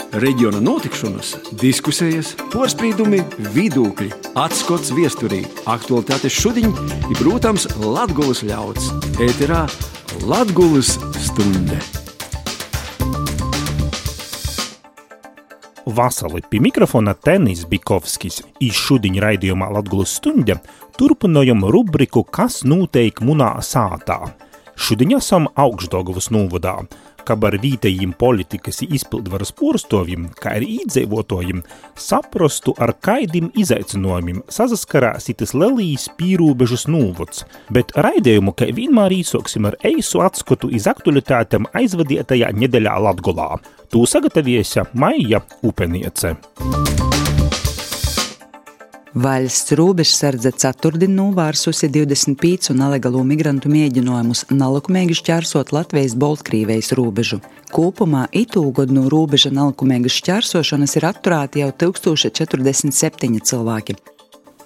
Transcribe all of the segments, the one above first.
Reģiona notikšanas, diskusijas, porspīdumi, vidūkļi, atskots viesturī, aktualitātes šudiņ i, protams, Latgulas ļauds. Ēterā Latgulas stunde. Vasali pie mikrofona Tenis Bikovskis. I šudiņ raidījumā Latgulas stunde turpinojam rubriku Kas noteik munā sātā. Šudiņ esam Augšdaugavas novadā, kab ar vītējiem politikas i izpildvaras porstovim, kā arī īdzīvotājiem, saprastu, ar kaidim izaicinojumiem sasaskarās itis lelīs pīrūbežas novads. Bet raidījumu, kā vienmēr īsoksim ar eisu atskatu iz aktualitātēm aizvadietajā nedeļā Latgolā. Tū sagatavieja Maija Upeniece. Vaļsts rūbežsardze ceturtdien novārsusi 25 nelegālo migrantu mēģinājumus nelikumīgi šķērsot Latvijas-Baltkrīvijas rūbežu. Kopumā itūgod no rūbeža nelikumīgas šķērsošanas ir atturēti jau 1047 cilvēki.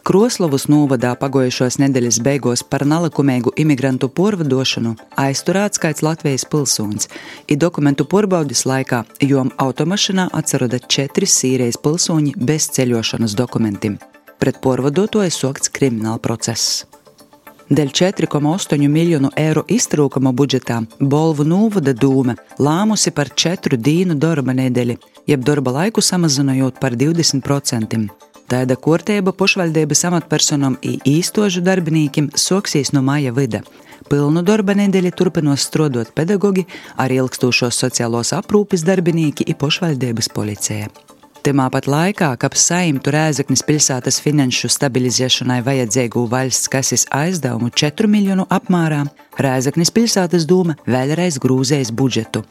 Kroslavas novadā pagojušos nedēļas beigās par nelikumīgu imigrantu porvadošanu aizturēts kāds Latvijas pilsonis. I dokumentu porbaudis laikā jom automašinā atceroda 4 Sīrijas pilsoņi bez ceļošanas dokumentiem. Pret porvadotoju sokts krimināla process. Dēļ 4,8 miljonu eiro iztrūkuma budžetā Bolvu novada dūme lāmusi par 4 dienu darba nedēļi, jeb darba laiku samazinojot par 20%. Tāda kārtība pašvaldības amatpersonam i īstožu darbinīkim soksīs no maija vida. Pilnu darba nedēļi turpinos strādāt pedagogi, ar ilgstošos sociālos aprūpes darbinīki i pašvaldības policija. Timā pat laikā, kap saimtu Rēzeknis pilsētas finanšu stabilizēšanai vajadzīgu valsts kases aizdevumu 4 miljonu apmērā, Rēzeknis pilsētas dūme vēlreiz grūzējas budžetu.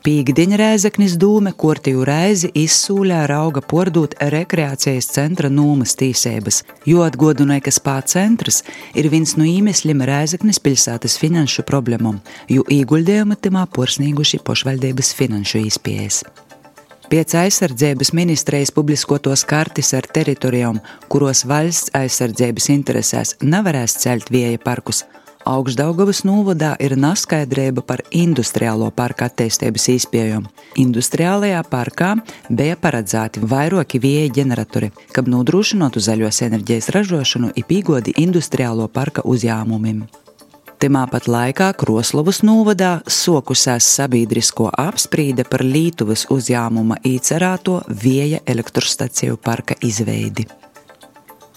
Pīkdiņa Rēzeknis dūme kortīju reizi izsūļā rauga pordūt rekreācijas centra nūmas tīsības, jo atgodinoja, ka spā centrs ir viens no īmeslim Rēzeknis pilsētas finanšu problemom, jo īguļdējuma timā porsnīguši pašvaldības finanšu izpējas. Pēc aizsardzības ministrijas publiskotos kartis ar teritorijām, kuros valsts aizsardzības interesēs nevarēs celt vieja parkus, Augšdaugavas novadā ir neskaidrība par industriālo parka attīstības izpējām. Industriālajā parkā bija paredzēti vairāki vieja ģeneratori, kab nodrošinātu zaļos enerģijas ražošanu i pīgodi industriālo parka uzņēmumiem. Timā pat laikā Kroslavas novadā sokusās sabiedrisko apsprīde par Lītuvas uzņēmuma īcerāto vieja elektrostaciju parka izveidi.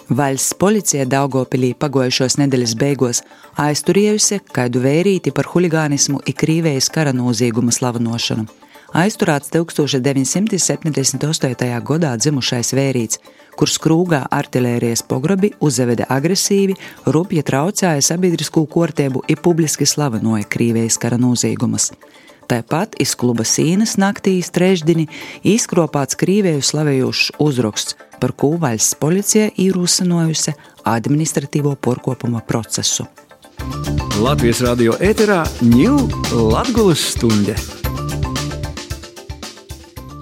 Valsts policija Daugavpilī pagojušos nedēļas beigos aizturējusi kaidu vērīti par huligānismu i Krīvijas kara nozieguma slavinošanu. Aizturēts 1978. gadā dzimušais vērīts, kurš krūgā artilērijas pogrobi uzaveda agresīvi, rupji traucēja sabiedriskū kārtību i publiski slavinoja Krīvijas kara noziegumus. Tāpat iz kluba sīnas naktīs trešdini izkropāts Krīviju slavējošs uzraksts, par ko valsts policija īrūsinojusi administratīvo porkopuma procesu. Latvijas radio ēterā ņū Latgulas stunde.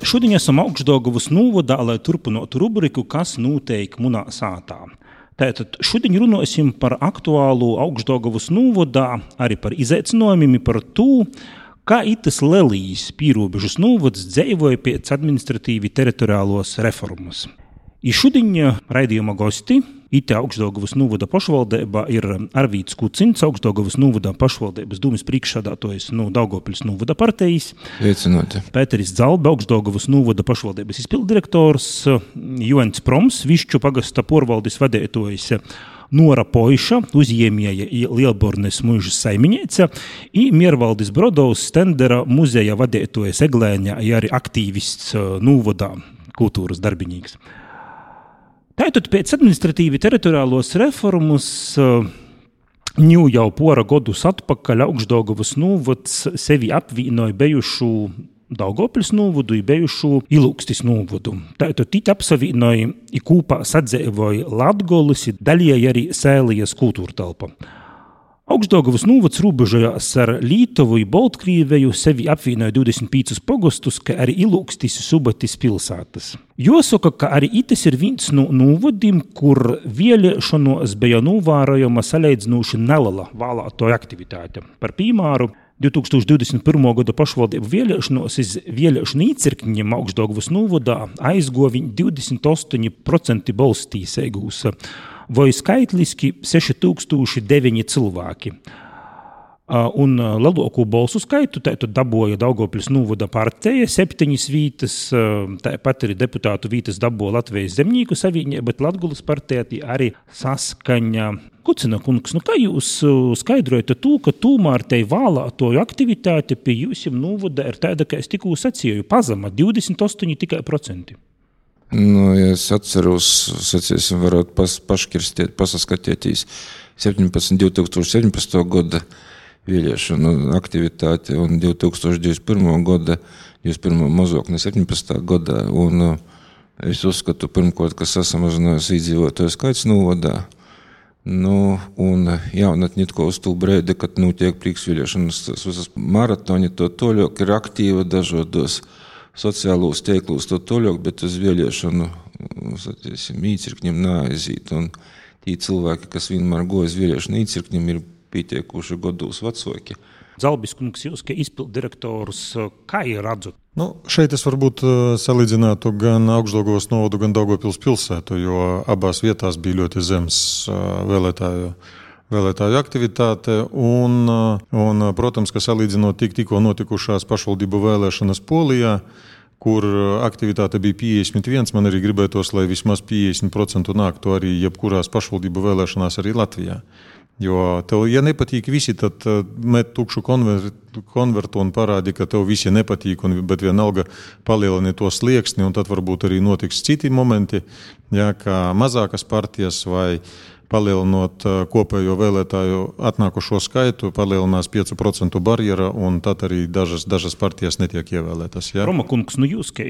Šodien esam Augšdaugavas novadā, lai turpinātu rubriku Kas noteik munā sātā. Tātad šodien runāsim par aktuālu Augšdaugavas novadā, arī par izaicinājumiem, par to, kā itas lelīs pīrobežas novads dzeivoja pēc administratīvi teritoriālos reformas. I šodien raidījuma gosti ite Augšdaugavas novada pašvaldībā ir Arvīts Kucins, Augšdaugavas novada pašvaldības dūmis priekšsādātojs no Daugavpils novada partijas. Veicinoti. Pēteris Dzalbe, Augšdaugavas novada pašvaldības izpilddirektors, Joens Proms, Višķu pagasta porvaldes vadētojs, Nora Poiša, uzņēmēja i Lielbornes muižas saimiņēca, i Miervaldis Brodovs, Stendera muzeja vadētojas Eglēņa, i arī aktīvists novadā, kultūras darbinīgs. Tātad pēc administratīvi teritoriālos reformas jau pora godus atpakaļ Augšdaugavas novads sevi apvienoja bejušu Daugavpils novadu i bejušu Ilūkstis novadu. Tātad tit apsavienoja i kūpā sadzēvoja Latgolis i daļēja arī Sēlijas kultūra telpa. Augšdaugavas novads robežojās ar Lītuvu i Baltkrīveju, sevi apvienoja 25 pogostus, kā arī Ilūkstis i Subatis pilsētas. Jāsaka, ka arī itis ir viens no novadim, kur vēlēšanos bija novērojama salīdzinoši nelela vēlētāju aktivitāte. Par piemēru, 2021. gada pašvaldību vēlēšanos iz vēlēšanu īcirkņiem Augšdaugavas novadā aizguva 28% balstīsēgūs, vai skaitliski 6009 cilvēki. Un lielāko balsu skaitu tātad dabūja Daugavpils novada partija, 7 vītas, tāpat arī deputātu vītas dabūja Latvijas zemnieku savienība, bet Latgulas partija arī saskaņa. Kucina kungs, kā jūs skaidrojat to, ka tomēr tai vēlētoju aktivitāte pie jūsim novada ir tāda, ka es tikko sacīju, pazema 28 tikai procenti? Ja es atceros, sacīsim, varot paškirstiet, pasaskatieties 2017. gada vēlēšanu aktivitāti un 2021. gada, 21. mazāk ne 17. gadā. Un es uzskatu, pirmkārt, ka sasamazinājās iedzīvotāju skaits novadā. Un jaunatni uz to brīdi, kad notiek priekšvēlēšanas visas maratoni, to toļāk ir aktīva dažādos sociālos teiklūs, to toļāk, bet uz vēlēšanu īcirkņiem neaiziet. Un tie cilvēki, kas vienmēr goja uz vēlēšanu īcirkņiem, ir pietiekuši gados vecāki. Zalbis kungs, jūs, kā izpilddirektors, kā ir redzat? Šeit es varbūt salīdzinātu gan Augšdaugavas novadu, gan Daugavpils pilsētu, jo abās vietās bija ļoti zems vēlētāju aktivitāte. Un, protams, ka salīdzinot tikko notikušās pašvaldību vēlēšanas Polijā, kur aktivitāte bija 51, man arī gribētos, lai vismaz 50% nāktu arī jebkurās pašvaldību vēlēšanās arī Latvijā. Jo tev, ja nepatīk visi, tad met tukšu konvertu un parādi, ka tev visi nepatīk, bet vienalga palielini to slieksni, un tad varbūt arī notiks citi momenti, kā mazākas partijas vai palielinot kopējo vēlētāju atnākušo skaitu, palielinās 5% barjera, un tad arī dažas partijas netiek ievēlētas. Ja? Roma kungs, jūs, kā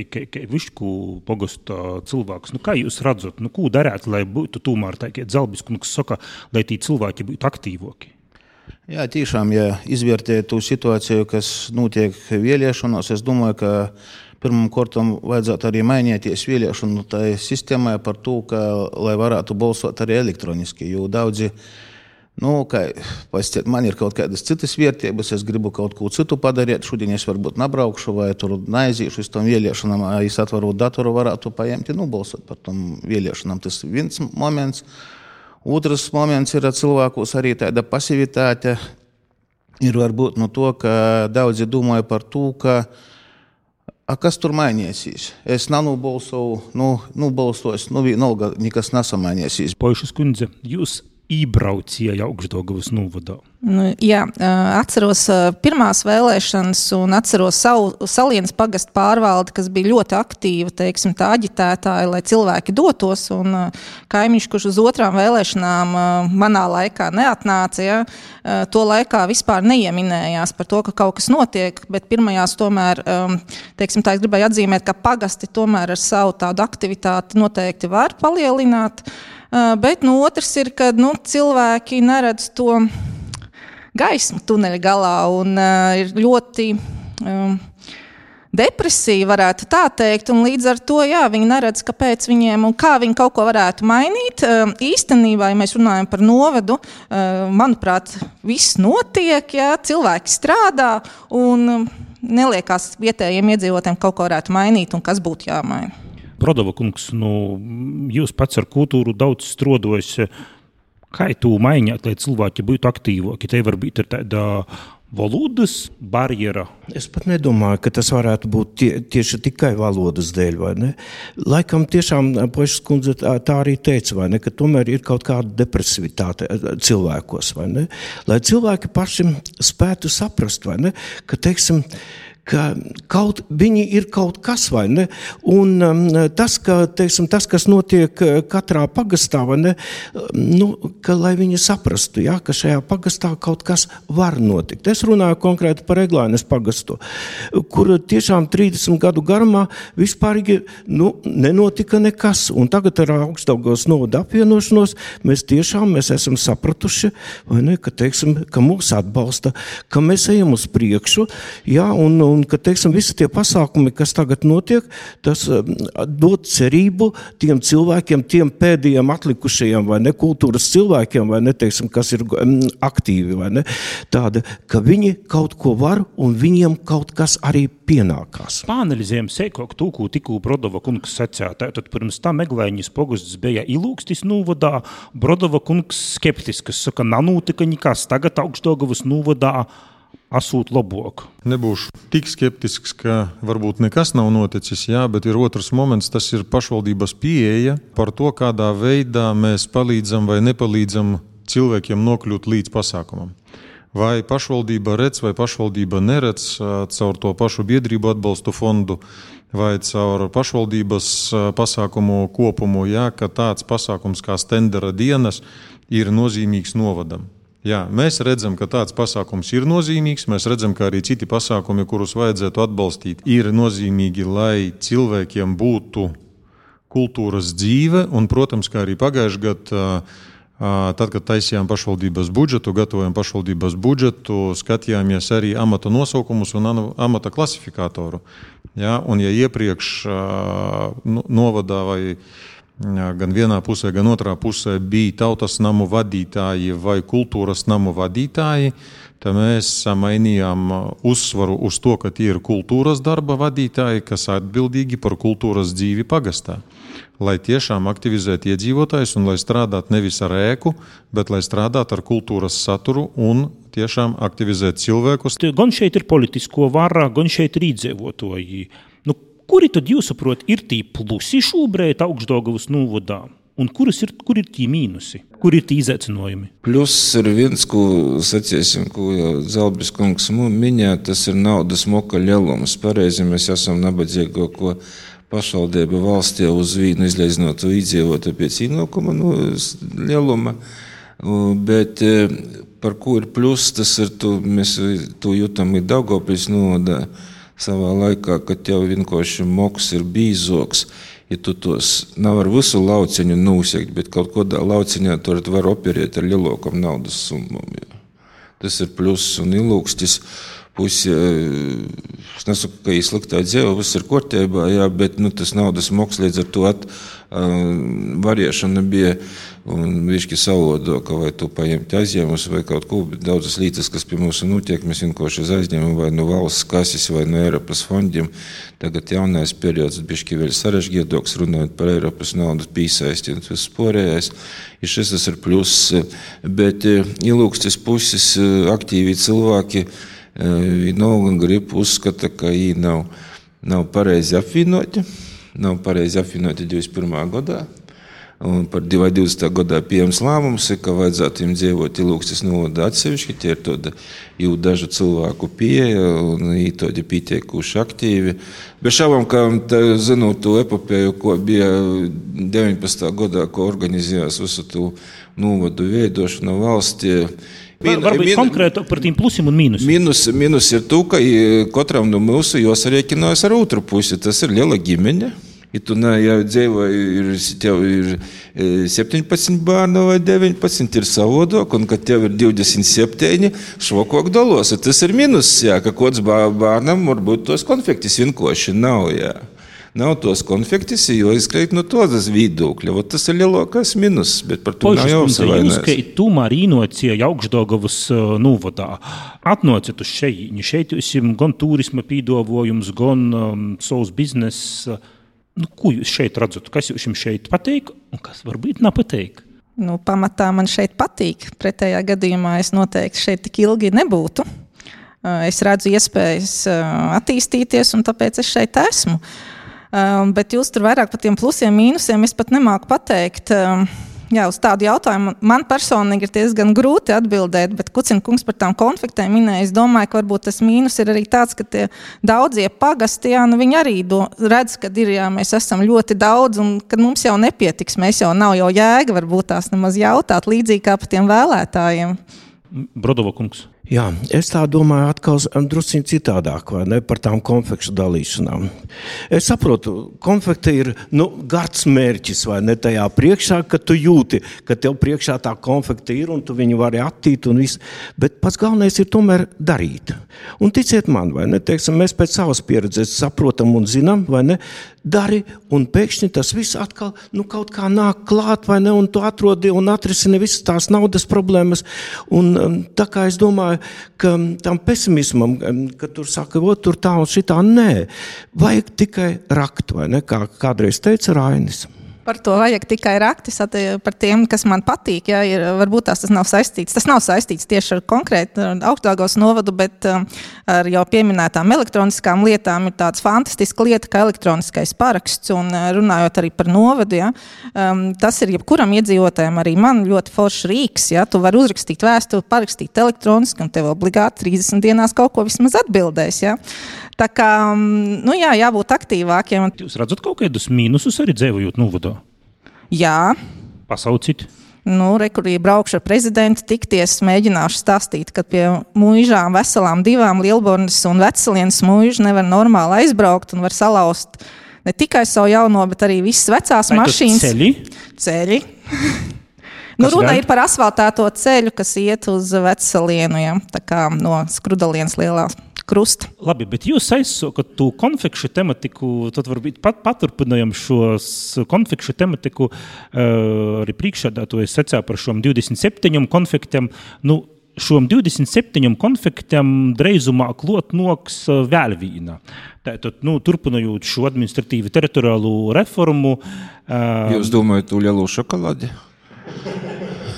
Višku pogasta cilvēks, kā jūs redzat, ko darāt, lai būtu tomēr tā, kā Zalbis kungs saka, lai tī cilvēki būtu aktīvoki? Jā, tiešām, ja izvērtē tu situāciju, kas notiek vēlēšanos, es domāju, ka pirmam kortam vajadzētu arī mainīties vēlēšanu tai sistēmai par to, ka, lai varētu balsot arī elektroniski, jo daudzi, man ir kaut kādas citas vērtības, es gribu kaut ko citu padarīt, šodien es varbūt nabraukšu vai tur neaizīšu uz tom vēlēšanām, es atvaru datoru, varētu paņemt un balsot par tom vēlēšanām. Tas viens moments. Otrs moments ir cilvēkos arī tāda pasivitāte, ir varbūt to, ka daudzi domāja par to, ka kas tur mainīsies? Es nanobalsoju, balsos, vienalga nekas nesamainīsies. Poišas kundze, jūs ībraucīja Augšdaugavas novadā? Jā, atceros pirmās vēlēšanas un atceros savu Salienas pagastu pārvaldi, kas bija ļoti aktīva, tā aģitētāja, lai cilvēki dotos, un kaimiņš, kurš uz otrām vēlēšanām manā laikā neatnāca, ja, to laikā vispār neieminējās par to, ka kaut kas notiek, bet pirmajās tomēr, es gribēju atzīmēt, ka pagasti tomēr ar savu tādu aktivitāti noteikti var palielināt, bet otrs ir, ka cilvēki neredz to gaismu tuneļa galā un ir ļoti depresija, varētu tā teikt, un līdz ar to, viņi neredz, kāpēc viņiem un kā viņi kaut ko varētu mainīt. Īstenībā, ja mēs runājam par novadu, manuprāt, viss notiek, cilvēki strādā un neliekās vietējiem iedzīvotājiem kaut ko varētu mainīt un kas būtu jāmaina. Brodova kungs, jūs pats ar kultūru daudz strodojas. Kā tu mainīt, lai cilvēki būtu aktīvāki? Te varbūt ir tāda valodas barjera. Es pat nedomāju, ka tas varētu būt tieši tikai valodas dēļ, vai ne? Laikam tiešām Poišas kundze tā arī teica, vai ne, ka tomēr ir kaut kāda depresivitāte cilvēkos, vai ne? Lai cilvēki paši spētu saprast, vai ne, ka, ka viņi ir kaut kas, vai ne? Un tas, kas notiek katrā pagastā, vai ne? Ka lai viņi saprastu, ka šajā pagastā kaut kas var notikt. Es runāju konkrēti par Eglainas pagastu, kur tiešām 30 gadu garumā vispārīgi nenotika nekas. Un tagad ar Augšdaugavas novada apvienošanos mēs esam sapratuši, vai ne, ka mūs atbalsta, ka mēs ejam uz priekšu, un un ka, teiksim, visi tie pasākumi, kas tagad notiek, tas dod cerību tiem cilvēkiem, tiem pēdējiem atlikušajiem vai ne kultūras cilvēkiem, vai ne, teiksim, kas ir aktīvi, vai ne, tāda, ka viņi kaut ko var un viņiem kaut kas arī pienākās. Pāanalizējam seikok tū, ko tikū Brodova kungs sacīja. Tātad pirms tam Meglēņas pogusts bija Ilūkstis nūvadā, Brodova kungs skeptisks, saka, nanūtika nekas, tagad Augšdaugavas nūvadā asūt loboku. Nebūšu tik skeptisks, ka varbūt nekas nav noticis, jā, bet ir otrs moments, tas ir pašvaldības pieeja par to, kādā veidā mēs palīdzam vai nepalīdzam cilvēkiem nokļūt līdz pasākumam. Vai pašvaldība redz, vai pašvaldība neredz caur to pašu biedrību atbalstu fondu, vai caur pašvaldības pasākumu kopumu, jā, ka tāds pasākums kā Stendera dienas ir nozīmīgs novadam. Jā, mēs redzam, ka tāds pasākums ir nozīmīgs, mēs redzam, ka arī citi pasākumi, kurus vajadzētu atbalstīt, ir nozīmīgi, lai cilvēkiem būtu kultūras dzīve, un, protams, kā arī pagājušajā gadā, tad, kad taisījām pašvaldības budžetu, gatavojam pašvaldības budžetu, skatījāmies arī amata nosaukumus un amata klasifikātoru. Ja, un ja iepriekš novadā vai gan vienā pusē, gan otrā pusē bija tautas namu vadītāji vai kultūras namu vadītāji, tad mēs mainījām uzsvaru uz to, ka tie ir kultūras darba vadītāji, kas atbildīgi par kultūras dzīvi pagastā. Lai tiešām aktivizētu iedzīvotājus un lai strādātu nevis ar ēku, bet lai strādātu ar kultūras saturu un tiešām aktivizēt cilvēkus. Gan šeit ir politisko vara, gan šeit ir iedzīvotāji. Kuri tad jūs saprot ir tī plusi šūbrēt Augšdaugavas nūvadā? Un kur ir tī mīnusi? Kur ir tī izaicinājumi? Plus ir viens, ko saciesim, ko Zalbis kungs minēja, tas ir naudas moka lielums. Pareizi mēs esam nabadzīgo, ko pašvaldība valstī uz vīnu izleiznotu iedzīvotu pēc ienākuma lieluma, bet par ko ir plus, tas ir, mēs to jūtam ir Daugavpils novadā savā laikā, kad jau vienkārši moks ir bīzoks, ja tu tos nav ar visu lauciņu nūsekt, bet kaut kādā lauciņā tur var operēt ar lielākam naudas summam. Tas ir plus un Ilūkstis. Pusi, es nesaku, ka ir sliktā dzīve, viss ir kārtībā, jā, bet tas naudas moks līdz ar to variešana bija un višķi savādāka, vai tu paņemt aizņēmus vai kaut ko, bet daudzas lietas, kas pie mums notiek, mēs vienkārši aizņemam vai no valsts kases vai no Eiropas fondiem. Tagad jaunais periods bišķi vēl sarežģītāks, runājot par Eiropas naudas pīsaisti un viss pārējais. Ir šis tas ir pluss, bet Ilūkstis puses aktīvi cilvēki vienalga grib uzskata, ka viņi nav pareizi apvienoti. Nav pareizi apvienoti 21. gadā. Un par 20. gadā pieejams lēmums, ka vajadzētu viņiem dzīvot Ilūkstis novadā atsevišķi. Tie ir tāda jau dažu cilvēku pieeja un tādi pieteikuši aktīvi. Bet šaubām, ka zinot to epopēju, ko bija 19. gadā, ko organizējās visu to novadu veidošanu valstī. Varbūt konkrēti par tiem plusiem un mīnusiem. Mīnus ir to, ka katram no mūsu jāsarēķinās ar otru pusi. Tas ir liela ģimeņa. Ja tu tev ir 17 bērni vai 19, ir savādāk, un kad tev ir 27, švakāk dalos. Tas ir mīnus, jā, ka kāds bērnam varbūt tos konfektis vienkārši nav, jā. Nav tos konfektis, jo izkrīt no tādas viedokļa. Tas ir lielākais minus, bet par to nav jāuzsavainās. Jūs, ka tomēr īnocija Augšdaugavas novadā atnācat uz šeit. Šeit jūs gan turisma pīdovojums, gan savs biznes. Ko jūs šeit redzat? Kas jums šeit pateik un kas varbūt nepateik? Pamatā man šeit patīk. Pretējā gadījumā es noteikti šeit tik ilgi nebūtu. Es redzu iespējas attīstīties un tāpēc es šeit esmu. Bet jūs tur vairāk par tiem plusiem, mīnusiem es pat nemāku pateikt. Jā, uz tādu jautājumu man personīgi ir diezgan grūti atbildēt, bet Kucina kungs par tām konfliktēm minēja. Es domāju, ka varbūt tas mīnus ir arī tāds, ka tie daudzie pagasti, viņi arī redz, ka mēs esam ļoti daudz un ka mums jau nepietiks. Mēs jau nav jēga varbūt tās nemaz jautāt līdzīgi kā par tiem vēlētājiem. Brodova kungs. Jā, es tā domāju atkal drusciņ citādāk, vai ne, par tām konfekšu dalīšanām. Es saprotu, konfekte ir, gards mērķis, vai ne, tajā priekšā, ka tu jūti, ka tev priekšā tā konfekte ir un tu viņu vari attīt un viss, bet pats galvenais ir tomēr darīt. Un ticiet man, vai ne, teiksim, mēs pēc savas pieredzes saprotam un zinām, vai ne, dari un pēkšņi tas viss atkal, kaut kā nāk klāt, vai ne, un tu atrodi un atrisini visas tās naudas problēmas, un tā kā es domāju, ka tam pesimismam, ka tur saka, tur tā un šitā, nē, vajag tikai rakt, vai ne, kā kādreiz teica Rainis. Par to vajag tikai raktis, par tiem, kas man patīk, varbūt tas nav saistīts. Tas nav saistīts tieši ar konkrētu Augstdaugavas novadu, bet ar jau pieminētām elektroniskām lietām ir tāds fantastiska lieta, kā elektroniskais paraksts, un runājot arī par novadu, tas ir jebkuram iedzīvotājam, arī man ļoti foršs rīks, tu vari uzrakstīt vēstuli, parakstīt elektroniski, un tev obligāti 30 dienās kaut ko vismaz atbildēs, Tā kā, jābūt aktīvākiem. Jūs redzat kaut kādus mīnusus arī dzīvojot novadā? Jā. Pasaucīt? Rekurī braukšu ar prezidentu, tikties, mēģināšu stāstīt, ka pie muižām veselām 2 Lielbornes un Vecelienas muižu nevar normāli aizbraukt un var salauzt ne tikai savu jauno, bet arī visas vecās mašīnas. Ceļi. Runa ir par asfaltēto ceļu, kas iet uz Vecelienu, tā kā no Skrudalienas lielā krusta. Labi, bet jūs aizsokat to konfekšu tematiku, tad varbūt paturpinājam šos konfekšu tematiku, arī priekšsēdētājs secā par šom 27 konfektiem. Šom 27 konfektiem dreizumā klot noks vēl vīna. Tātad, turpinājot šo administratīvu teritoriālu reformu. Jūs domājat to lielo šokolādi?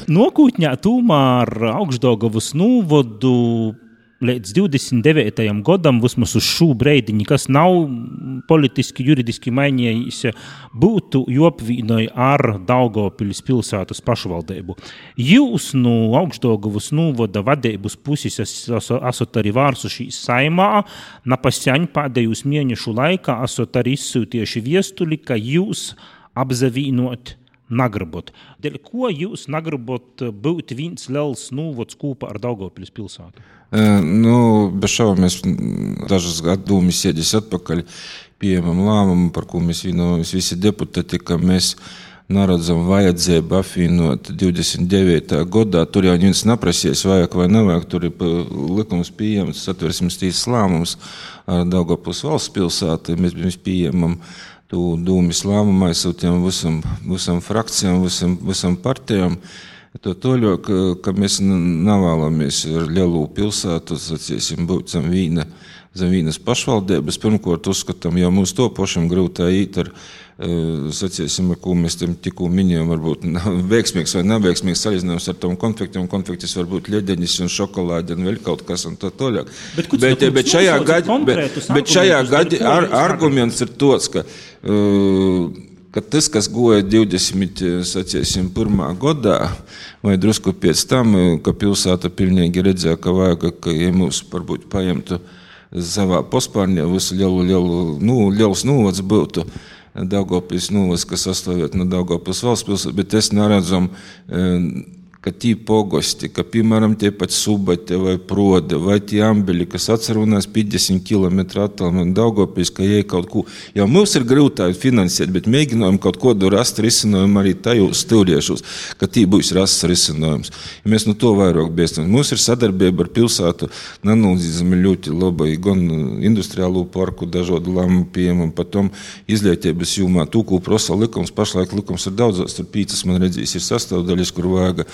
Nokūtņā tomēr Augstdaugavas novadu līdz 29. gadam, vismaz uz šo breidi, nekas nav politiski, juridiski mainījis, būtu jopvīnoja ar Daugavpils pilsētas pašvaldību. Jūs no Augstdaugavas novada vadības puses esat arī vārsušīs saimā, napasaņ pēdējos mēnešu laikā esat arī izsūtieši viestuli, ka jūs apzavīnot nagribot. Dēļ ko jūs nagribot būt viens liels novads kopā ar Daugavpils pilsētu? Bez šaubām mēs dažas gadūmis sēdis atpakaļ pieejamam lēmumu, par ko mēs vienojamies visi deputāti, ka mēs naredzam vajadzību apvienot 29. gadā. Tur jau neviens naprasies, vajag vai nevajag, tur ir likums pieejams, Satversmes tiesas lēmums ar Daugavpils valsts pilsētu, mēs pieejamam tu dūmis lēmumu aizsūtījām visam frakcijām, visam partijām. To toļo, ka mēs nevēlamies ar lielu pilsētu, saciesim, būt zem vīnas pašvaldības. Pirmkārt, uzskatām, jau mums to pašam grūtā īt ar, saciesim, ar ko mēs tikko minējām, varbūt veiksmīgs vai neveiksmīgs salīdzinājums ar tom konfektiem. Konfektis var būt ļedenis un šokolādi un vēl kaut kas un tā toļāk. Bet šajā gadi arguments ir tos, ka tas, kas goja 21. gadā, vai drusku pēc tam, ka pilsēta pilnīgi redzēja, ka vajag, ka ja mūs varbūt paņemtu savā pospārņā, visu liels novads būtu Daugavpils novads, kas sastāvēt no Daugavpils valsts pilsētas, bet es neredzam, ka tī pogosti, ka, piemēram, tie pat Subate vai Prode, vai tie Ambeļi, kas atcerunās 50 km attālumā no Daugavpils, ka jai kaut ko, jau mums ir grūtāk finansēt, bet mēģinājam kaut kodu rast risinājumu arī tajos stūriešos, ka tī būs rasts risinājums. Ja mēs no to vairāk bēstam. Mums ir sadarbība ar pilsētu, nanūzīzami ļoti labai, gan industriālo parku dažādu lēmumu pieejamam, patom izlietības jūmā, tūku prosa likums, pašlaik likums ir daudzās, tur 5, man redzīs, ir sastāvdaļas, kur vajag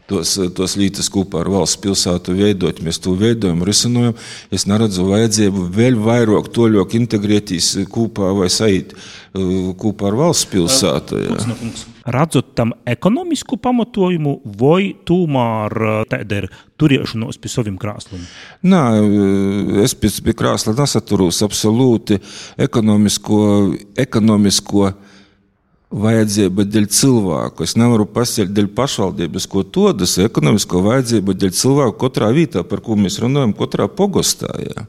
tos lītas kopā ar valsts pilsētu veidot. Mēs to veidojam, risinojam. Es neredzu vajadzību vēl vairāk toļok integrētīs kopā vai saīt kopā ar valsts pilsētu. Radzot tam ekonomisku pamatojumu vai tomēr tāda ir turiešanos pie saviem krāsliem? Nā, es pie krāsla nesaturūs absolūti ekonomisko vajadzība dēļ cilvēku. Es nevaru pasēļt dēļ pašvaldības, ko todas ekonomisko vajadzību dēļ cilvēku katrā vietā, par ko mēs runājam, katrā pogostā. Jā.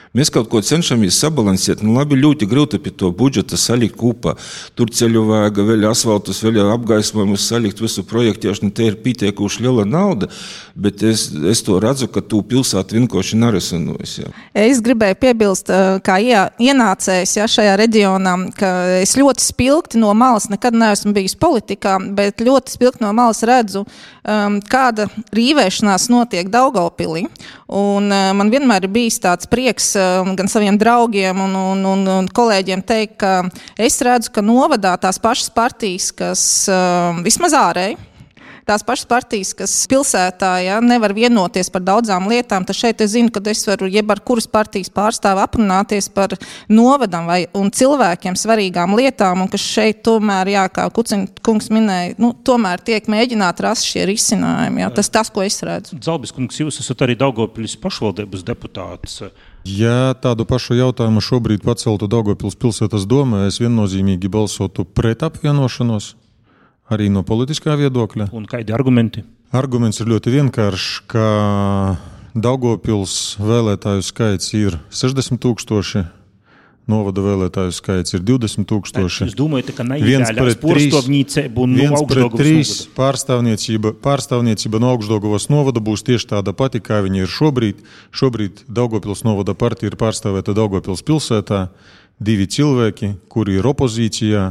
Mēs kaut ko cenšamies sabalansēt. Labi, ļoti grūti pie to budžeta salikt kopā. Tur ceļu vajag, vēl asfaltus, vēl apgaismojumus salikt, visu projektēšanu. Te ir pietiekuši liela nauda, bet es to redzu, ka tu pilsētu vienkārši nerisinojas. Es gribēju piebilst, kā ienācējs šajā reģionā, ka es ļoti spilgti no malas, nekad neesmu bijis politikā, bet ļoti spilgti no malas redzu, kāda rīvēšanās notiek Daugavpilī. Un man vienmēr ir bijis tāds prieks gan saviem draugiem un kolēģiem teikt, ka es redzu, ka novadā tās pašas partijas, kas vismaz ārēji, tās pašas partijas, kas pilsētā nevar vienoties par daudzām lietām, tad šeit es zinu, ka es varu jeb ar kuras partijas pārstāvu aprunāties par novadam un cilvēkiem svarīgām lietām, un ka šeit tomēr, kā Kuciņa kungs minēja, tomēr tiek mēģināt rast šie risinājumi. Tas, ko es redzu. Zalbis kungs, jūs esat arī Daugavpils pašvaldības deputāts. Ja tādu pašu jautājumu šobrīd paceltu Daugavpils pilsētas domē, es viennozīmīgi balsotu pret apvienošanos. Arī no politiskā viedokļa. Un kādi argumenti? Arguments ir ļoti vienkāršs, ka Daugavpils vēlētāju skaits ir 60,000, novada vēlētāju skaits ir 20,000. Jūs domājat, ka neideāļās porstovnīcība un no Augšdaugavas novada? Pārstāvniecība no Augšdaugavas novada būs tieši tāda pati, kā viņa ir šobrīd. Šobrīd Daugavpils novada partija ir pārstāvēta Daugavpils pilsētā. 2 cilvēki, kuri ir opozīcijā,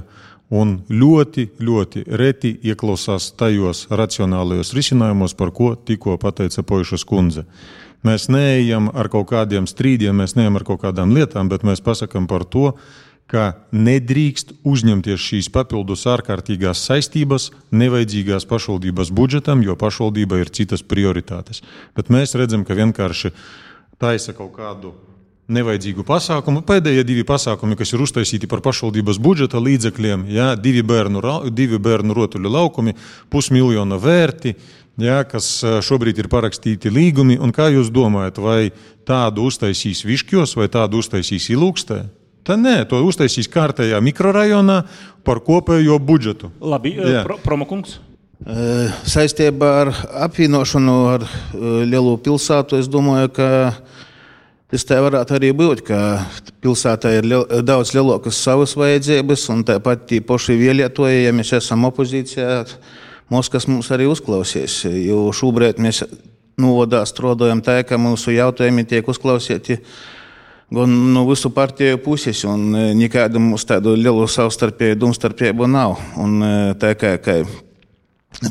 un ļoti, ļoti reti ieklausās tajos racionālajos risinājumos, par ko tikko pateica Poišas kundze. Mēs neejam ar kaut kādiem strīdiem, mēs neejam ar kaut kādām lietām, bet mēs pasakam par to, ka nedrīkst uzņemties šīs papildus ārkārtīgās saistības nevajadzīgās pašvaldības budžetam, jo pašvaldība ir citas prioritātes. Bet mēs redzam, ka vienkārši taisa kaut kādu nevajadzīgu pasākumu. Pēdējie 2 pasākumi, kas ir uztaisīti par pašvaldības budžeta līdzekļiem, 2 bērnu rotuļu laukumi, 500 000 vērti, kas šobrīd ir parakstīti līgumi. Un kā jūs domājat, vai tādu uztaisīs Viškjos vai tādu uztaisīs Ilūkstē? Tā nē, to uztaisīs kārtējā mikrorajonā par kopējo budžetu. Labi, Promokungs. Saistībā ar apvienošanu ar lielu pilsētu, es domāju, ka tas tā varētu arī būt, ka pilsētā ir daudz lielākas savas vajadzības, un tāpat tī poši vēlētoji, ja mēs esam opozīcijā, Moskvas mums arī uzklausīs, jo šobrīd mēs novadā strādājam tā, ka mūsu jautājumi tiek uzklausīti gan no visu partiju puses, un nekāda mums tādu lielu savstarpēju domstarpību nav. Un tā kā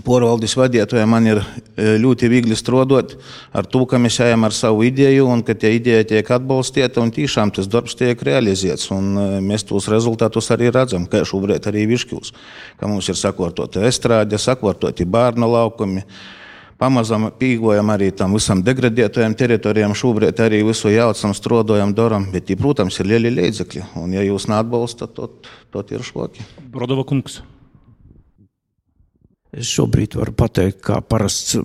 porvaldes vadītāja man ir ļoti viegli strādāt ar to, ka mēs ejam ar savu ideju un ka tie ideja tiek atbalstīta un tiešām tas darbs tiek realizēts. Un mēs tos rezultātus arī redzam, kā šobrīd arī Viškils, ka mums ir sakārtota estrāde, sakārtoti bērnu laukumi. Pamazam pīgojam arī tam visam degradētajām teritorijām, šobrīd arī visu jaucam, strādājam, daram, bet, protams, ir lieli līdzekļi. Un ja jūs neatbalstat, tad ir švaki. Brodova kungs. Es šobrīd varu pateikt, kā parasts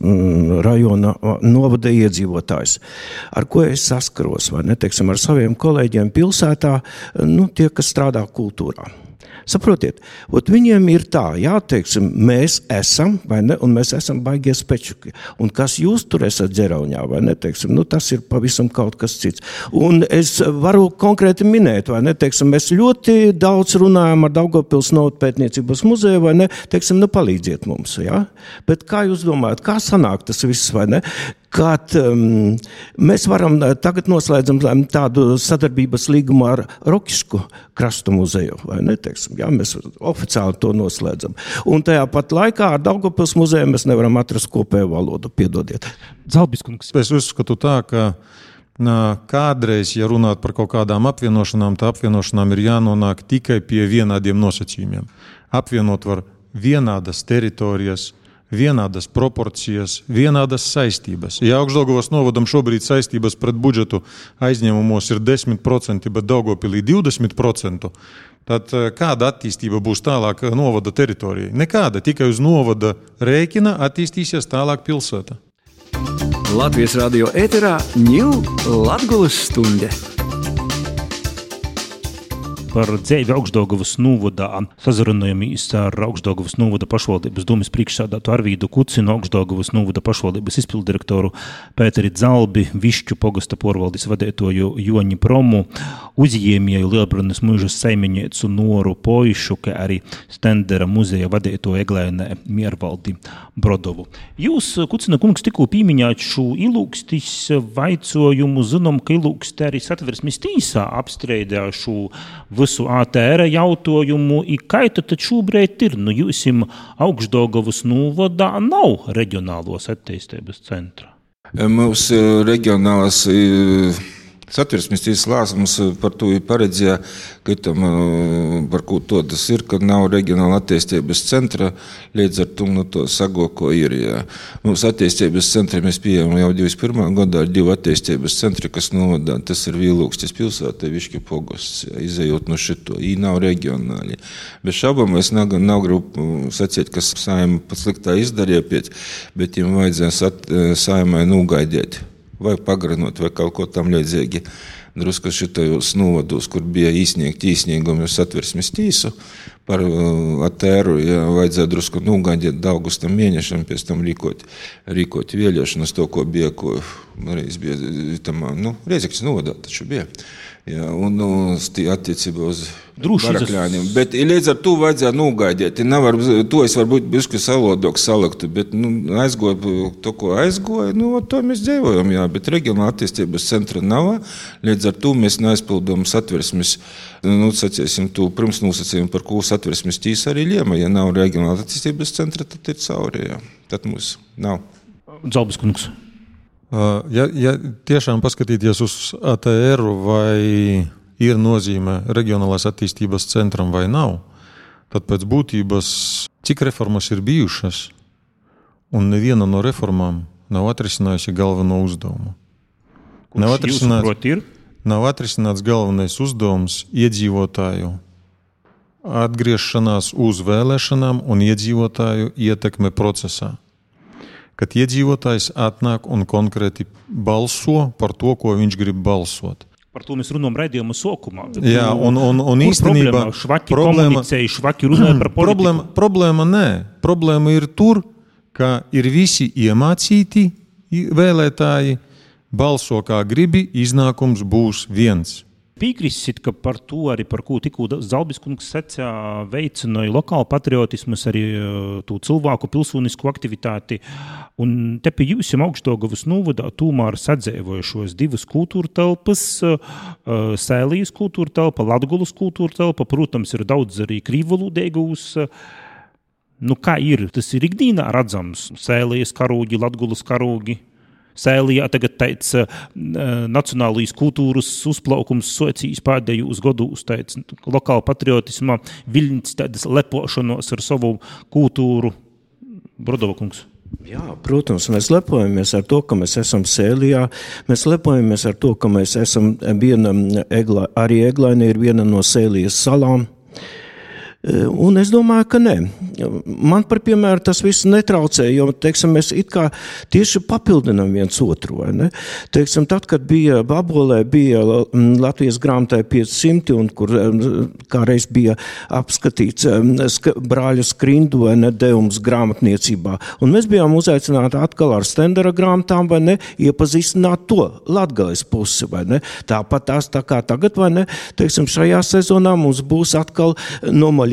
rajona novada iedzīvotājs, ar ko es saskaros, vai ne, teiksim, ar saviem kolēģiem pilsētā, tie, kas strādā kultūrā. Saprotiet, viņiem ir tā, teiksim, mēs esam, vai ne, un mēs esam baigie spečuki. Un kas jūs tur esat Dzerauņā, vai ne, teiksim, tas ir pavisam kaut kas cits. Un es varu konkrēti minēt, vai ne, teiksim, mēs ļoti daudz runājam ar Daugavpils novadpētniecības muzeju, vai ne, teiksim, palīdziet mums, Bet kā jūs domājat, kā sanāk tas viss, vai ne? Kad mēs varam tagad noslēdzam tādu sadarbības līgumu ar Rokišku krastu muzeju, vai ne, teiksim, mēs oficiāli to noslēdzam. Un tajā pat laikā ar Daugavpils muzeju mēs nevaram atrast kopēju valodu, piedodiet. Zalbis kungs. Es uzskatu tā, ka kādreiz, ja runāt par kaut kādām apvienošanām, tā apvienošanām ir jānonāk tikai pie vienādiem nosacījumiem. Apvienot var vienādas teritorijas, vienādas proporcijas, vienādas saistības. Ja Augšdaugavas novadam šobrīd saistības pret budžetu aizņēmumos ir 10%, bet Daugavpilī 20%, tad kāda attīstība būs tālāk novada teritorijai? Nekāda, tikai uz novada rēķina attīstīsies tālāk pilsēta. Latvijas radio ēterā Ņū Latgulas stunde. par dzeivi Augšdaugavas novada. Sazarunājamies ar Augšdaugavas novada pašvaldības domas priekšsādātu Arvīdu Kucinu, Augšdaugavas novada pašvaldības izpildirektoru Pēteri Dzalbi, Višķu pogasta porvaldis vadētoju Joņi Promu, uzjēmēju Lielbriņas mužas saimnieci Noru Poišu, kā arī Stendera muzeja vadētoju Eglēnē Miervaldi Brodovu. Jūs, Kucina kungs, tikko pīmiņāt šo ilūkstis vaicojumu, zinām, ka ilūksti arī Satversmes tīsā apstreidē šo visu ATR jautājumu, i kā tad šobrīd ir? Nu, jūsim Augšdaugavas novadā nav reģionālos attīstības centra. Mums reģionālās Satversmes tiesas lēmums par to ir paredzēja, ka tam, par ko to tas ir, ka nav reģionāla attīstības centra, līdz ar to no to sago, ko ir. Jā. Mums attīstības centri mēs pieejam jau 21. gadā ar 2 attīstības centri, kas novadā. Tas ir Vīlūkstis pilsēta, Višķi pogosts, izejot no šito. Ī nav reģionāli. Bez šaubām es nav gribu sacīt, kas saima pat sliktā izdarīja pēc, bet viņam vajadzēja saimai nūgaidēt. Vai pagarinot, vai kaut ko tam līdzīgi. Drusku šitajos novados, kur bija īsniegumi uz Satversmes tīsu par ATR, ja vajadzēja drusku nūgaidīt augustam mēnešam, pēc tam rīkot vēlēšanas, to, ko bija, ko reiz bija tam, Reizeknes novadā taču bija. Jā, un attiecībā uz barakļāņiem. Bet līdz ar to vajadzēja nūgaidīt. To es varbūt bišķi salodok saliktu, bet aizgoju to, ko aizgoju, to mēs dzīvojam, jā. Bet reģionāla attīstības centra nav. Līdz ar to mēs neaizpildām Satversmes, saciesim, to pirms nosacījumu, par ko Satversmes tīsa arī liema. Ja nav reģionāla attīstības centra, tad ir cauri, jā. Tad mums nav. Dzalbis kungs. Ja tiešām paskatīties uz ATR, vai ir nozīme reģionālās attīstības centram vai nav, tad pēc būtības, cik reformas ir bijušas, un neviena no reformām nav atrisinājusi galveno uzdevumu. Nav atrisināts galvenais uzdevums iedzīvotāju atgriešanās uz vēlēšanām un iedzīvotāju ietekme procesā. Kad iedzīvotājs atnāk un konkrēti balso par to, ko viņš grib balsot. Par to mēs runājam raidījuma sākumā. Jā, un īstenībā švaki komunicēja, švaki runāja par politiku. Problēma nē. Problēma ir tur, ka ir visi iemācīti vēlētāji, balso kā gribi, iznākums būs viens. Piekrīsit, ka par to arī, par ko tikko Dzalbis kungs secā, veicināja lokālu patriotismus, arī to cilvēku pilsonisku aktivitāti. Un te pie jūsim Augšdaugavas novadā tomēr sadzēvojušos 2 kultūra telpas, Sēlijas kultūra telpa, Latgulas kultūra telpa, protams, ir daudz arī krīvvalodīgūs. Kā ir? Tas ir ikdīnā redzams. Sēlijas karūgi, Latgulas karūgi. Sēlijā tagad teic nacionālīs kultūras uzplaukums socijas pēdējos gados, teic lokāla patriotisma viļņas, tādas lepošanos ar savu kultūru. Brodova kungs. Jā, protams, mēs lepojamies ar to, ka mēs esam Sēlijā, mēs lepojamies ar to, ka mēs esam arī Eglaine ir viena no Sēlijas salām. Un es domāju, ka nē. Man par piemēru tas viss netraucē, jo, teiksim, mēs it kā tieši papildinam viens otru, vai ne? Teiksim, tad, kad bija Babolē, bija Latvijas grāmatai 500, un kur kāreiz bija apskatīts brāļu Skrindu, vai ne, devums grāmatniecībā. Un mēs bijām uzaicināti atkal ar Stendera grāmatām, vai ne, iepazīstināt to Latgales pusi, vai ne? Tāpat tās tā kā tagad, vai ne, teiksim, šajā sezonā mums būs atkal no Maļinovas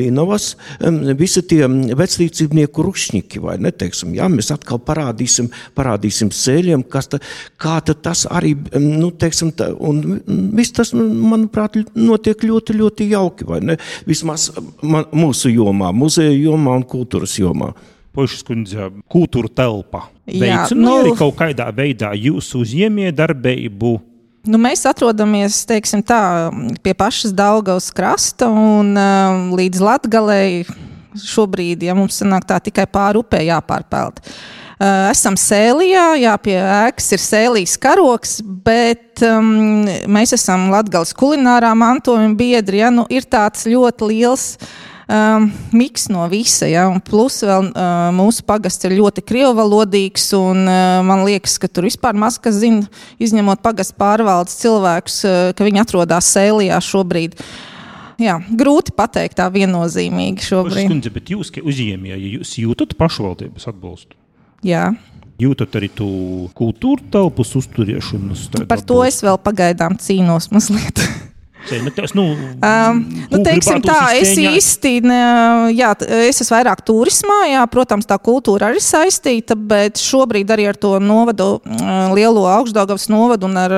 visi tie veclīdzībnieku rušņiki, vai ne, teiksim, jā, mēs atkal parādīsim sēļiem, kā tas arī, teiksim, un viss tas, manuprāt, notiek ļoti, ļoti jauki, vai ne, vismaz mūsu jomā, muzeja jomā un kultūras jomā. Pošas kundze, kultūra telpa veicināja arī kaut kādā veidā jūsu uzņēmēju darbību? Mēs atrodamies, teiksim tā, pie pašas Daugavas krasta un līdz Latgalei šobrīd, ja mums sanāk tā tikai pāri upē jāpārpeld. Esam Sēlijā, jā, pie ēkas ir Sēlijas karoks, bet mēs esam Latgales kulinārā mantojuma biedri, ja, ir tāds ļoti liels miks no visa, ja, un plus vēl mūsu pagasts ir ļoti krievvalodīgs, un man liekas, ka tur vispār maz kas zina, izņemot pagastu pārvaldes cilvēkus, ka viņi atrodas Sēlijā šobrīd. grūti pateikt tā viennozīmīgi šobrīd. Skundze, bet jūs, ka uzņēmēji, ja jūs jūtat pašvaldības atbalstu? Jā. Jūtat arī tu kultūra telpas uzturiešanas? Par to es vēl pagaidām cīnos mazliet. Teiksim tā, es īsti, es esmu vairāk turismā, protams, tā kultūra arī saistīta, bet šobrīd arī ar to novadu, lielo Augšdaugavas novadu un ar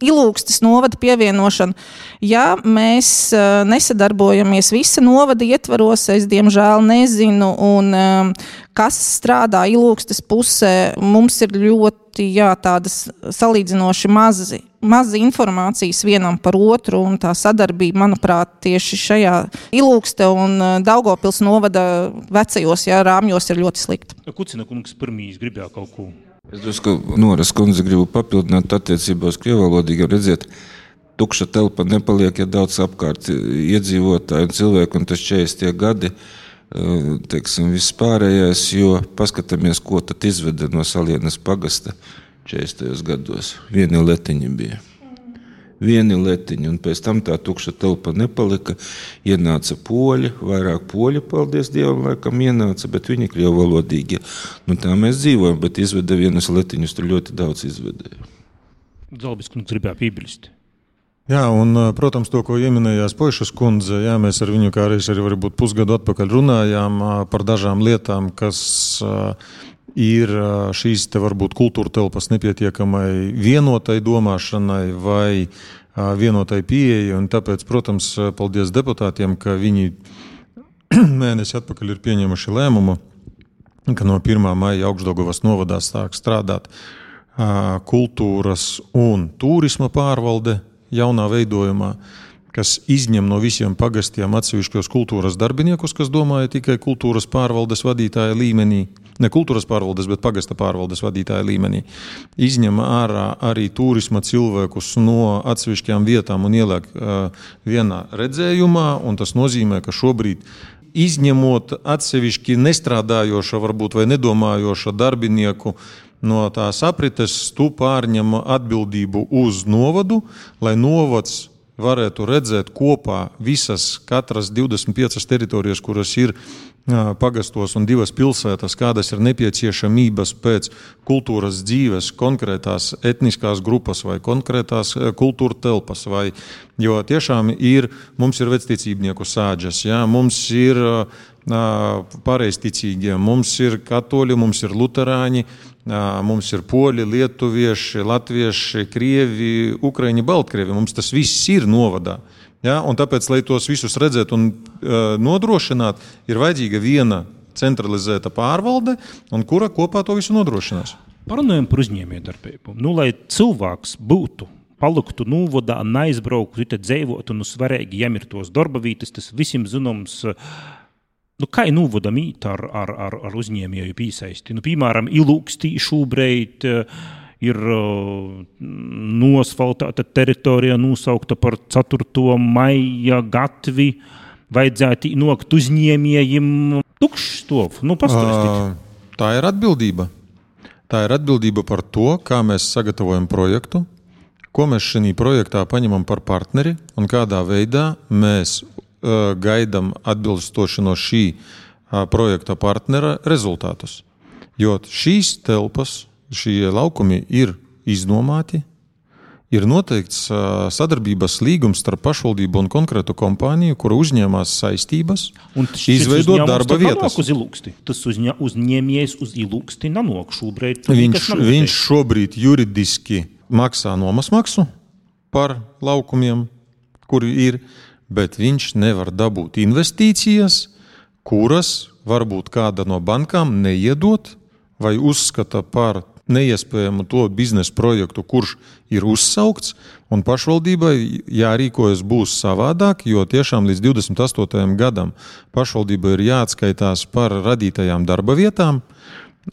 Ilūgstes novada pievienošanu, mēs nesadarbojamies visa novada ietvaros, es diemžēl nezinu, un kas strādā Ilūgstes pusē, mums ir ļoti, tādas salīdzinoši mazi informācijas vienam par otru, un tā sadarbība, manuprāt, tieši šajā Ilūgste un Daugavpils novada vecajos rāmjos ir ļoti slikta. Kucina kungs pirmīs gribēja kaut ko? Es domāju, ka Noras kundze gribu papildināt attiecībās krievalodīgi, redzēt, tukša telpa nepaliek, ja daudz apkārt iedzīvotāji un cilvēki, un tas 40 gadi, teiksim, viss pārējais, jo paskatāmies, ko tad izveda no Salienas pagasta 40. gados. Vieni letiņi bija. Vieni letiņi, un pēc tam tā tukša telpa nepalika. Ienāca poļi, vairāk poļi, paldies Dievam, laikam ienāca, bet viņi krievalodīgi. Tā mēs dzīvojam, bet izveda vienus letiņus, tur ļoti daudz izvedēja. Zalbis kungs gribēja piebilst. Jā, un, protams, to, ko ieminējās Poišas kundze, mēs ar viņu kādreiz arī varbūt pusgadu atpakaļ runājām par dažām lietām, kas ir šīs te varbūt kultūra telpas nepietiekamai vienotai domāšanai vai vienotai pieeja, un tāpēc, protams, paldies deputātiem, ka viņi mēnesi atpakaļ ir pieņemuši lēmumu, ka no 1. maija Augšdaugavas novadā sāk strādāt kultūras un turisma pārvalde jaunā veidojumā, kas izņem no visiem pagastiem atsevišķos kultūras darbiniekus, kas domāja tikai kultūras pārvaldes vadītāja līmenī, ne kultūras pārvaldes, bet pagasta pārvaldes vadītāja līmenī. Izņem ārā arī turisma cilvēkus no atsevišķām vietām un ieliek vienā redzējumā, un tas nozīmē, ka šobrīd izņemot atsevišķi nestrādājoša varbūt vai nedomājoša darbinieku no tās aprites, tu pārņem atbildību uz novadu, lai novads varētu redzēt kopā visas katras 25 teritorijas, kuras ir pagastos un 2 pilsētas, kādas ir nepieciešamības pēc kultūras dzīves konkrētās etniskās grupas vai konkrētās kultūra telpas. Jo tiešām mums ir vecticībnieku sāģes, mums ir pareizticīgie, mums ir katoļi, mums ir luterāņi, mums ir poļi, lietuvieši, latvieši, krievi, ukraiņi, baltkrievi. Mums tas viss ir novadā. Un tāpēc, lai tos visus redzēt un nodrošināt, ir vajadzīga viena centralizēta pārvalde, un kura kopā to visu nodrošinās. Parunājam par uzņēmējdarbību. Lai cilvēks būtu, paliktu novadā, neizbrauktu, tad dzīvotu, svarīgi, jam ir tos darba vietas, tas visiem zināms. Kā ir novadam īt ar uzņēmēju pīsaisti? Piemēram, Ilūgstī šobrīd ir nosfaltēta teritorija nosaukta par 4. maija gatvi. Vajadzētu nokt uzņēmējiem tukšs stov. Pastāstīt. Tā ir atbildība. Tā ir atbildība par to, kā mēs sagatavojam projektu, ko mēs šajā projektā paņemam par partneri un kādā veidā mēs gaidam atbilstoši no šī projekta partnera rezultātus. Jo šīs telpas, šie laukumi ir iznomāti, ir noteikts sadarbības līgums starp pašvaldību un konkrētu kompāniju, kura uzņēmās saistības, izveidot darba vietas. Tas uzņēmējs uz Ilūgsti nanok šobrīd. Viņš šobrīd juridiski maksā nomas maksu par laukumiem, kuri ir, bet viņš nevar dabūt investīcijas, kuras varbūt kāda no bankām neiedot vai uzskata par neiespējamu to biznesa projektu, kurš ir uzsaukts, un pašvaldībai jārīkojas būs savādāk, jo tiešām līdz 28. gadam pašvaldībai ir jāatskaitās par radītajām darba vietām,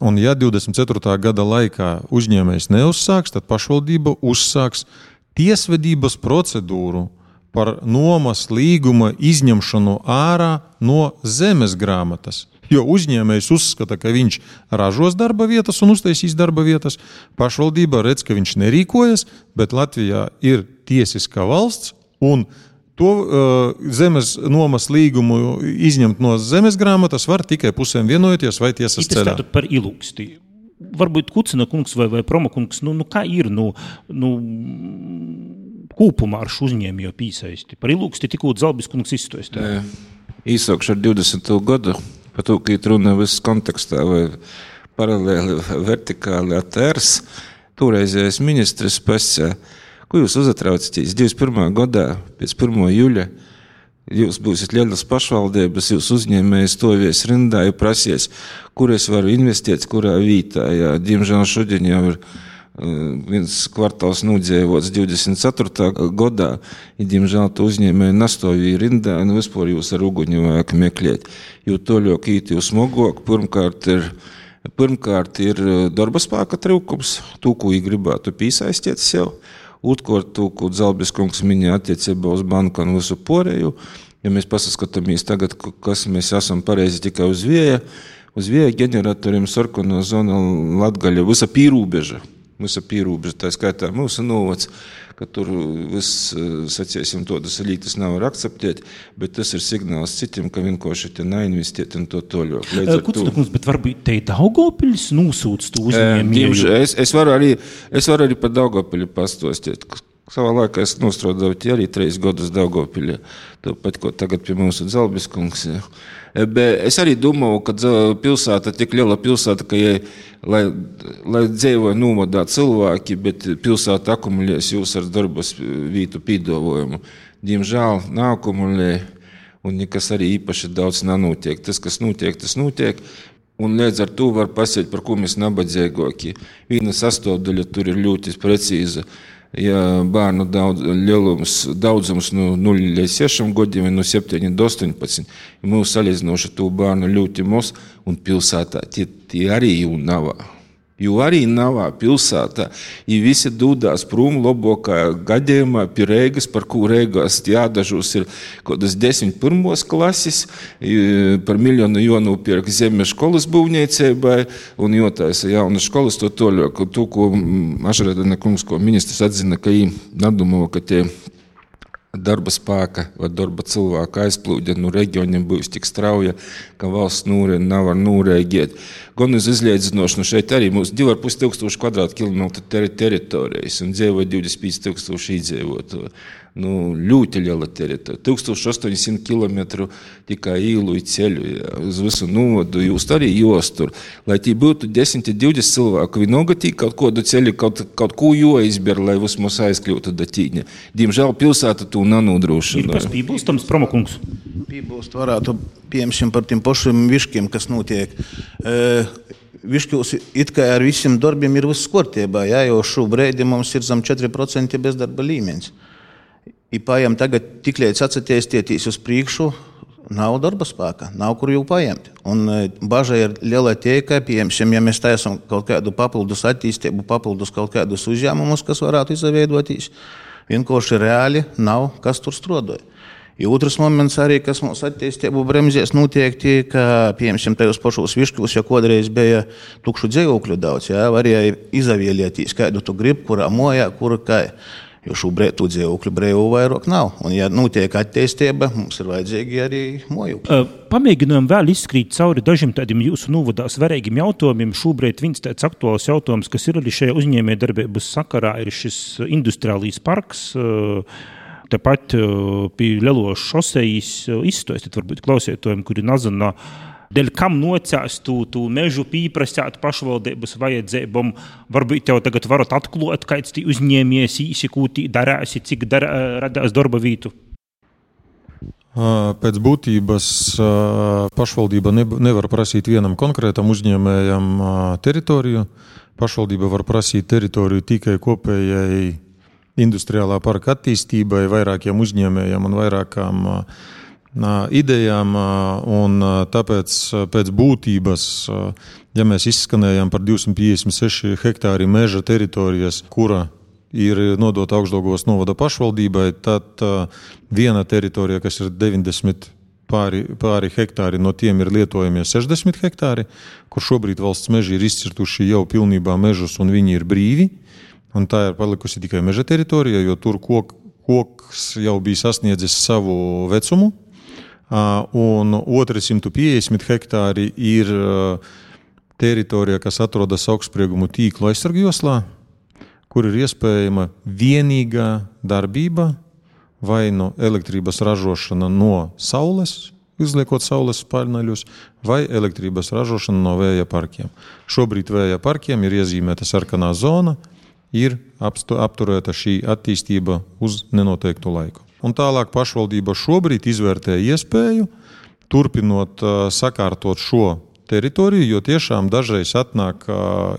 un ja 24. gada laikā uzņēmējs neuzsāks, tad pašvaldība uzsāks tiesvedības procedūru par nomas līguma izņemšanu ārā no zemes grāmatas. Jo uzņēmējs uzskata, ka viņš ražos darba vietas un uztaisīs darba vietas. Pašvaldība redz, ka viņš nerīkojas, bet Latvijā ir tiesiska valsts un To zemes nomas līgumu izņemt no zemes grāmatas var tikai pusēm vienojoties vai tiesas ceļā. Tātad par ilūksti. Varbūt Kucina kungs vai Proma kungs, kā ir kūpumā ar šo uzņēmēju pīsaisti? Par ilūksti tikko Zalbis kungs izstāstīja. Īsākšu ar 20. gadu, par to, ka runa viss kontekstā vai paralēli vertikāli attērs, toreizējais ministrs pasā. Ko jūs uzatraucaties? 21. gadā, pēc 1. jūļa, jūs būsiet lielas pašvaldības, jūs uzņēmēji stovies rindā, ja prasies, kur es varu investēt, kurā vītā. Jā, diemžēl šodien jau ir viens kvartāls nūdzēvots 24. gadā, ja diemžēl to uzņēmēji nastovīja rindā, vispār jūs ar uguņu vajag meklēt. Jo toļok īt jūs smogok, pirmkārt ir darba spēka trūkums, to, ko gribētu pīsaistīt sev. Otrkārt, ko Zalbis kungs minēja attiecībā uz banku un visu pārējo. Ja mēs paskatāmies tagad, kas mēs esam pareizi tikai uz vēja ģeneratoriem sarkano zona Latgaļa, visa pīrūbeža, tā skaitā mūsu novads, ka tur viss, saciesim, todas lītas nav var akceptēt, bet tas ir signāls citiem, ka vienkārši te neinvestiet un to toļo. Kucina kungs, bet varbūt te Daugavpiļs nosūc to uzņēmēju? Es varu arī par Daugavpiļu pastostīt. Savā laikā es nostrādāju arī 3 gadus Daugavpiļā, tāpat, ko tagad pie mūsu Zalbis kungs. Bet es arī domāju, ka pilsēta, tik liela pilsēta, ka, lai dzīvo novadā cilvēki, bet pilsēta akumulēs jūs ar darbas vītu pīdavojumu. Diemžēl nākumulē, un nekas arī īpaši daudz nenotiek. Tas, kas notiek, tas notiek. Un līdz ar to var pasiet, par ko mēs nabadzīgāki. Viena sastāvdaļa tur ir ļoti precīza. Ja bērnu daudzums no 0 līdz 6 gadiem, no 7 līdz 18, mūs salīdzinoši to bērnu ļoti maz, un pilsētā tie arī jau nav. Jo arī nav pilsētā, ja visi dūdās prom labākā gadījumā pie Reigas, par ko Reigās jādažos ir kādas 10 pirmos klases, par miljonu jānopirk zeme školas būvniecībai un jātaisa jaunas školas to toļāk. To, ko Ašradena kungs, ko ministrs atzina, ka nedomā, ka tie darba spēka vai darba cilvēka aizplūde no reģioniem būs tik strauja, ka valsts nevar nūrēgiet. Gan uz izliedzinošanu šeit arī mūsu 2500 kvadrātkilometru teritorijas un dzīvo 25,000 iedzīvotāju. Ļoti liela teritorija. 1800 kilometru tikai īlu i ceļu, uz visu novadu jūs arī jostur. Lai tī būtu 10-20 cilvēku, vienalga tī kaut kādu ceļu, kaut ko joizber, lai vismaz aizkļūtu da tīņa. Diemžēl pilsēta to nenodrošina. Ir kas pībūstams, Promokungs? Pībūst varētu, piemēram, par tiem pašiem viškiem, kas notiek. Viškos it kā ar visiem darbiem ir viss kārtībā, jo šobrīd mums ir zem 4% bezdarba līmenis. I paiem tagad tik līdz atsatīstieties uz priekšu, nav darba spēka, nav kur jau paiemt. Un baža ir liela tie, ka, piemēram, ja mēs taisam kaut kādu papildus attīstību, papildus kaut kādus uzņēmumus, kas varētu izveidoties, vienkārši reāli nav, kas tur strādāja. I otrs moments arī, kas mums attīstību bremzēs notiekti, ka, piemēram, tajos pašos viškos, ja kodreiz bija tukšu dzīvokļu daudz, varēja izavēlēties, kādu tu grib, kurā mojā, kur kā. Jo šobrīd tu dzīvokļu brīvu vairāk nav. Un, ja notiek attīstība, mums ir vajadzīgi arī mojokļi. Pamēģinām vēl izskrīt cauri dažiem tādiem jūsu novadā svarīgiem jautājumiem. Šobrīd viens tāds aktuāls jautājums, kas ir arī šajā uzņēmējdarbības sakarā, ir šis industriālīs parks. Tepat pie Lelošas šosejas izstāstīt varbūt klausētājiem, kuri nezina, dēļ kam nocēst tu mežu pīprasāt pašvaldības vajadzībām, varbūt tev tagad varat atklāt, kāds tī uzņēmies īsi, ko tī darēsi, cik radās darba vītu? Pēc būtības pašvaldība nevar prasīt vienam konkrētam uzņēmējam teritoriju. Pašvaldība var prasīt teritoriju tikai kopējai industriālā parka attīstībai, vairākiem uzņēmējiem un vairākām idejām, un tāpēc pēc būtības, ja mēs izskanējām par 256 hektāri meža teritorijas, kura ir nodota Augšdaugavas novada pašvaldībai, tad viena teritorija, kas ir 90 pāri hektāri, no tiem ir lietojamie 60 hektāri, kur šobrīd valsts meži ir izcirtuši jau pilnībā mežus un viņi ir brīvi, un tā ir palikusi tikai meža teritorija, jo tur koks jau bija sasniedzis savu vecumu, un 250 hektāri ir teritorija, kas atrodas augstspriegumu tīklu aizsargjoslā, kur ir iespējama vienīgā darbība vai no elektrības ražošana no saules, izliekot saules paneļus, vai elektrības ražošana no vēja parkiem. Šobrīd vēja parkiem ir iezīmēta sarkanā zona, ir apturēta šī attīstība uz nenoteiktu laiku. Un tālāk pašvaldība šobrīd izvērtē iespēju, turpinot sakārtot šo teritoriju, jo tiešām dažreiz atnāk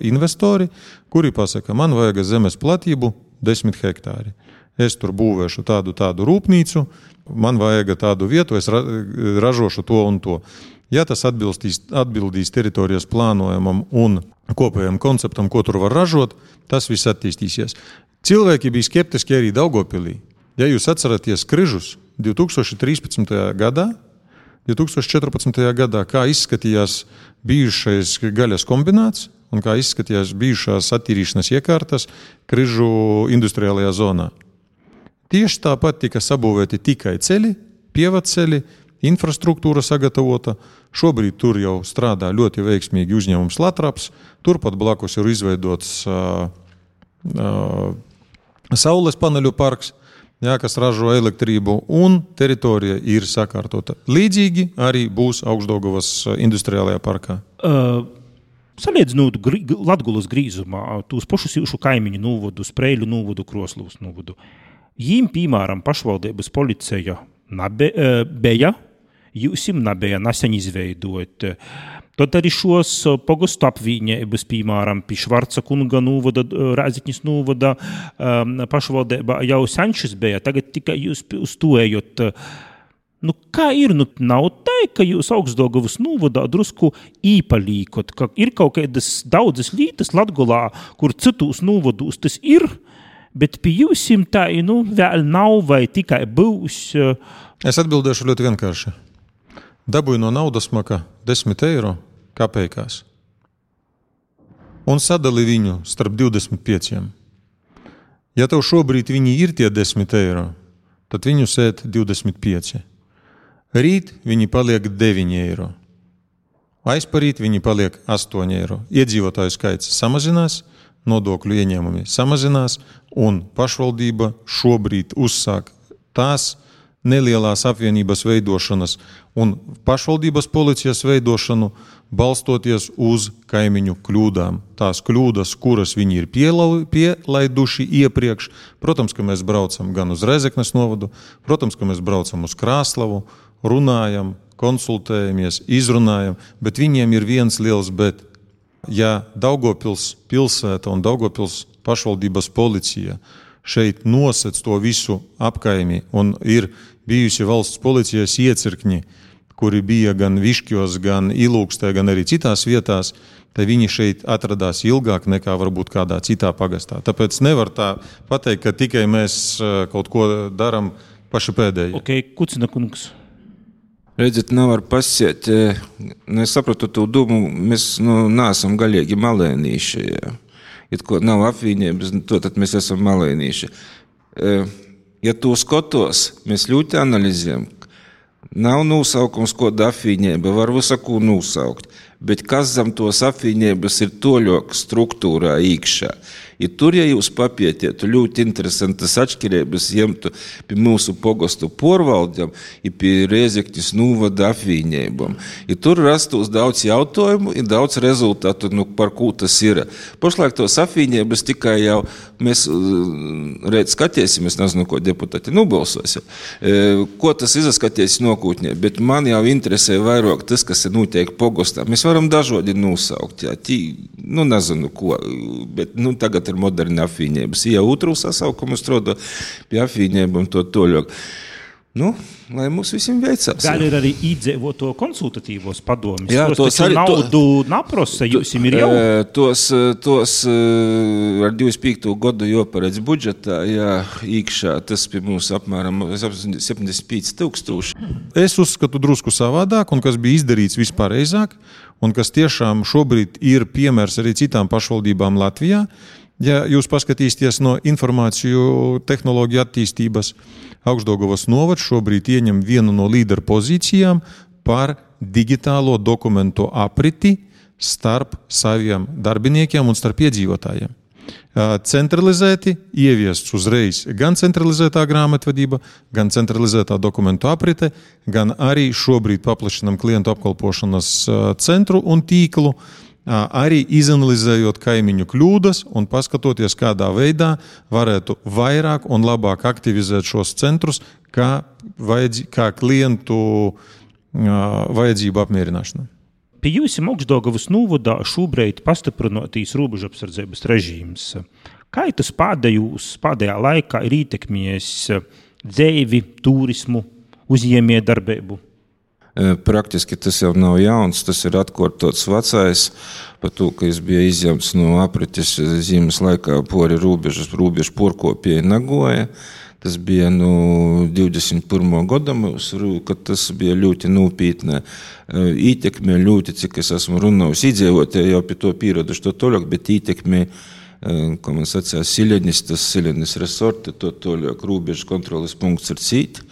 investori, kuri pasaka, man vajag zemes platību 10 hektāri. Es tur būvēšu tādu rūpnīcu, man vajag tādu vietu, es ražošu to un to. Ja tas atbildīs teritorijas plānojumam un kopējam konceptam, ko tur var ražot, tas viss attīstīsies. Cilvēki bija skeptiski arī Daugavpilī. Ja jūs atceraties Križus 2013. gadā, 2014. gadā, kā izskatījās bijušais gaļas kombināts un kā izskatījās bijušās attīrīšanas iekārtas Križu industriālajā zonā. Tieši tāpat tika sabūvēti tikai ceļi, pievadceļi, infrastruktūra sagatavota. Šobrīd tur jau strādā ļoti veiksmīgi uzņēmums Latraps. Turpat blakus ir izveidots saules paneļu parks, kas ražo elektrību, un teritorija ir sakārtota. Līdzīgi arī būs Augstdaugavas industriālajā parkā. Salīdzinot Latgulas grīzumā, tūs pašus jūšu kaimiņu nūvodu, Spreiļu nūvodu, Kroslūs nūvodu. Jīm, piemēram, pašvaldības policija bija, jūsim nebija nesen izveidot. Tad arī šos pogostu apvienības, piemēram, pie Švarca kunga nūvoda, Rēzikņas nūvoda pašvaldība jau senšas bija, tagad tikai jūs uz to ejot. Kā ir? Nav tā, ka jūs Augstdaugavas nūvodā drusku īpalīkot, ka ir kaut kādas daudzas lītas Latgolā, kur citus nūvodus tas ir, bet pie jūsim tā, vēl nav vai tikai būs. Es atbildēšu ļoti vienkārši. Dabūju no naudas maka 10 eiro kapeikās un sadali viņu starp 25. Ja tev šobrīd viņi ir tie 10 eiro, tad viņu sēt 25. Rīt viņi paliek 9 eiro. Aizparīt viņi paliek 8 eiro. Iedzīvotāju skaits samazinās, nodokļu ieņēmumi samazinās, un pašvaldība šobrīd uzsāk tās nelielās apvienības veidošanas un pašvaldības policijas veidošanu, balstoties uz kaimiņu kļūdām. Tās kļūdas, kuras viņi ir pielaiduši iepriekš, protams, ka mēs braucam gan uz Rēzeknes novadu, protams, ka mēs braucam uz Krāslavu, runājam, konsultējamies, izrunājam, bet viņiem ir viens liels bet. Ja Daugavpils pilsēta un Daugavpils pašvaldības policija šeit nosec to visu apkaimi un ir bijusi valsts policijas iecirkņi, kuri bija gan Viškjos, gan Ilūkstē, gan arī citās vietās, tad viņi šeit atradās ilgāk nekā varbūt kādā citā pagastā. Tāpēc nevar tā pateikt, ka tikai mēs kaut ko daram paši pēdēji. Ok, Kucina kungs. Redziet, nevar pasiet. Es sapratu to domu, mēs neesam galīgi malēnīši. Ja ko nav apvienības, tad mēs esam malēnīši. Ja to skatos, mēs ļoti analizējam. Nav nosaukums, ko apvienība var visaku nosaukt, bet kas zem tos apvienības ir toļok struktūrā īkšā. Ja tur, ja jūs papietiet, ļoti interesantas atšķirības jemtu pie mūsu pogostu porvaldiem un pie Rēzekņas novada apvienībām. Ja tur rastos daudz jautājumu un daudz rezultātu, par ko tas ir. Pašlaik tos apvienības tikai jau mēs reiz skatīsimies, nezinu, ko deputāti nobalsos, ko tas izaskaties nokūtņē, bet man jau interesē vairāk tas, kas ir notiek pogostā. Mēs varam dažādi nosaukt, nezinu ko, bet tagad ir moderni apvienības. Ja otru sasaukumu strādā pie apvienībām to toļok. Lai mums visiem veicās. Gal ir arī īdzīvoto konsultatīvos padomis. Jā, tos taču naudu naprosa, jūsim ir jau? Tos ar 25. gadu joparedz budžetā, īkšā, tas pie mums apmēram 75,000. Es uzskatu drusku savādāk, un kas bija izdarīts vispareizāk, un kas tiešām šobrīd ir piemērs arī citām pašvaldībām Latvijā, ja jūs paskatīsieties no informāciju tehnoloģiju attīstības, Augšdaugavas novads šobrīd ieņem vienu no līderu pozīcijām par digitālo dokumentu apriti starp saviem darbiniekiem un starp iedzīvotājiem. Centralizēti ieviests uzreiz gan centralizētā grāmatvedība, gan centralizētā dokumentu aprite, gan arī šobrīd paplašinam klientu apkalpošanas centru un tīklu, arī izanalizējot kaimiņu kļūdas un paskatoties, kādā veidā varētu vairāk un labāk aktivizēt šos centrus kā klientu vajadzību apmierināšanu. Pie jūsim Augšdaugavas novada šobrīd pastiprinotīs robežapsardzības režīms. Kā tas pēdējā laikā ir ietekmējis dzeivi, turismu, uzņēmējdarbību? Praktiski tas jau nav jauns, tas ir atkārtots vecais, par to, ka es biju izņemts no aprites zīmes laikā pori robežu porkopēji Nagoja. Tas bija 21. gada, kad tas bija ļoti nopietna ietekme, ļoti, cik es esmu runājis, iedzīvotāji jau pie to pieraduši to toļāk, bet ietekme, kā man sacīja, Silenis resorti, to toļāk robežu kontroles punkts ir cīt.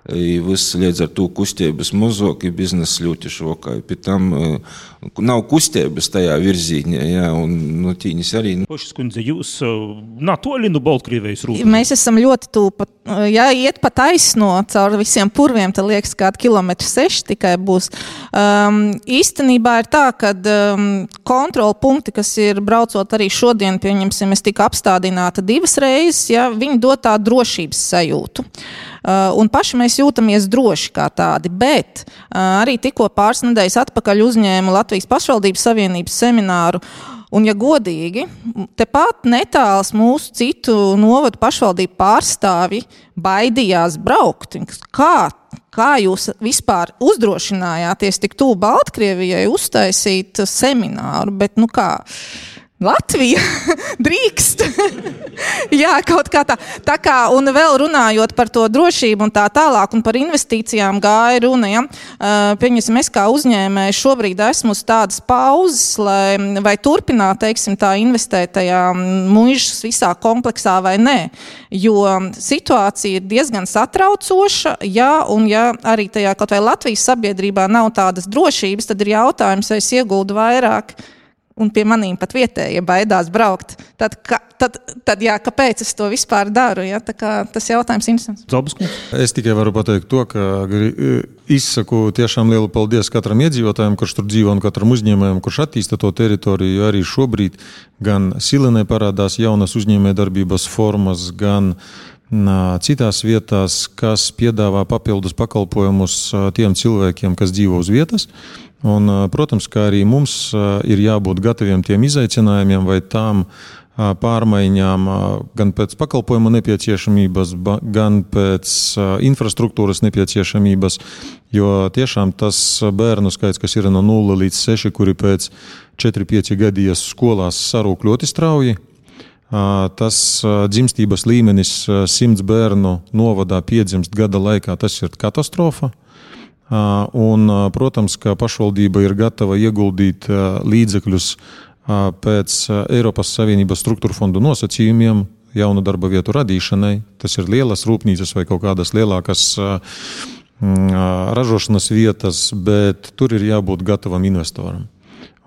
Viss līdz ar to kustības mazāk, biznesa ļoti šokāja. Pie tam nav kustības tajā virzīņā, jā, un tīņas arī. Pošas kundze, jūs toļi no Baltkrievijas robežas? Mēs esam ļoti tūpa. Ja iet pa taisno caur visiem purviem, tad liekas, kādi 6 km tikai būs. Īstenībā ir tā, ka kontrola punkti, kas ir braucot arī šodien, pieņemsim, es tika apstādināta 2 reizes, ja, viņi dod tā drošības sajūtu. Un paši mēs jūtamies droši kā tādi, bet arī tikko pāris nedēļas atpakaļ uzņēmu Latvijas pašvaldības savienības semināru, un ja godīgi, tepat netāls mūsu citu novadu pašvaldību pārstāvi baidījās braukt. Kā jūs vispār uzdrošinājāties tik tuvu Baltkrievijai uztaisīt semināru, bet kā? Latvija drīkst. Jā, kaut kā tā. Tā kā, un vēl runājot par to drošību un tā tālāk, un par investīcijām gāja runa, ja. Pieņemsim, es kā uzņēmēju šobrīd esmu uz tādas pauzes, vai turpināt, teiksim, tā investēt tajā muižas visā kompleksā vai nē. Jo situācija ir diezgan satraucoša, ja, un ja arī tajā kaut vai Latvijas sabiedrībā nav tādas drošības, tad ir jautājums, vai es ieguldu vairāk, un pie manīm pat vietējie baidās braukt. Tad jā, kāpēc es to vispār daru? Ja? Tā kā tas jautājums interesants. Es tikai varu pateikt to, ka izsaku tiešām lielu paldies katram iedzīvotājiem, kurš tur dzīvo, un katram uzņēmējam, kurš attīsta to teritoriju, jo arī šobrīd gan Silenē parādās jaunas uzņēmējdarbības formas, gan citās vietās, kas piedāvā papildus pakalpojumus tiem cilvēkiem, kas dzīvo uz vietas. Un, protams, kā arī mums ir jābūt gataviem tiem izaicinājumiem vai tām pārmaiņām gan pēc pakalpojuma nepieciešamības, gan pēc infrastruktūras nepieciešamības, jo tiešām tas bērnu skaits, kas ir no 0 līdz 6, kuri pēc 4-5 gadies skolās sarūk ļoti strauji, tas dzimstības līmenis 100 bērnu novadā piedzimst gada laikā, tas ir katastrofa. Un, protams, ka pašvaldība ir gatava ieguldīt līdzekļus pēc Eiropas Savienības struktūra fondu nosacījumiem jaunu darba vietu radīšanai. Tas ir lielas rūpnīcas vai kaut kādas lielākas ražošanas vietas, bet tur ir jābūt gatavam investoram.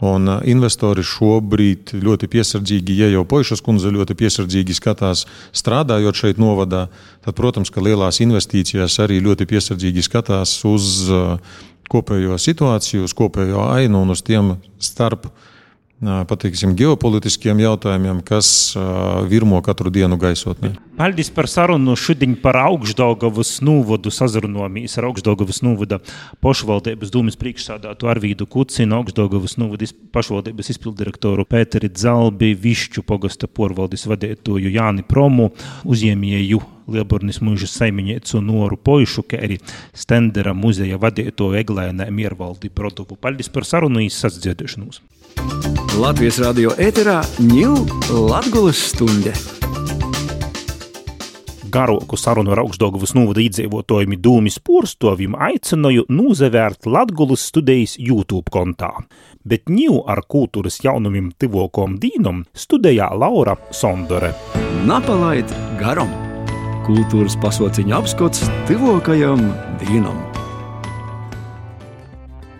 Un investori šobrīd ļoti piesardzīgi, ja jau Poišas kundze ļoti piesardzīgi skatās strādājot šeit novadā, tad, protams, ka lielās investīcijās arī ļoti piesardzīgi skatās uz kopējo situāciju, uz kopējo ainu un uz tiem starp, pateiksim, geopolitiskiem jautājumiem, kas virmo katru dienu gaisotnē. Paldies par sarunu šodien par Augšdaugavas novadu sazrunojamies ar Augšdaugavas novada pašvaldības dūmes priekšsādātu Arvīdu Kucinu, Augšdaugavas novada pašvaldības izpildirektoru Pēteri Dzalbi, Višķu pogasta porvaldes vadētoju Jāni Promu, uzņēmēju Lielbornis muižas saiminiecu Noru Poišu, kā arī Stendera muzeja vadētoju Eglēnē Miervaldi Brodovu. Paldies par sarunu izsadziedēšanos. Latvijas radio ēterā ņū Latgulas stunde. Garoku sarunu ar Augšdaugavas novada iedzīvotājiem dūmis porstovim aicināju nūzavērt Latgulas studijas YouTube kontā. bet ņū ar kultūras jaunumim tivokom dīnom studējā Laura Sondore. Napalaid garam! Kultūras pasauciņa apskots tivokajam dīnam.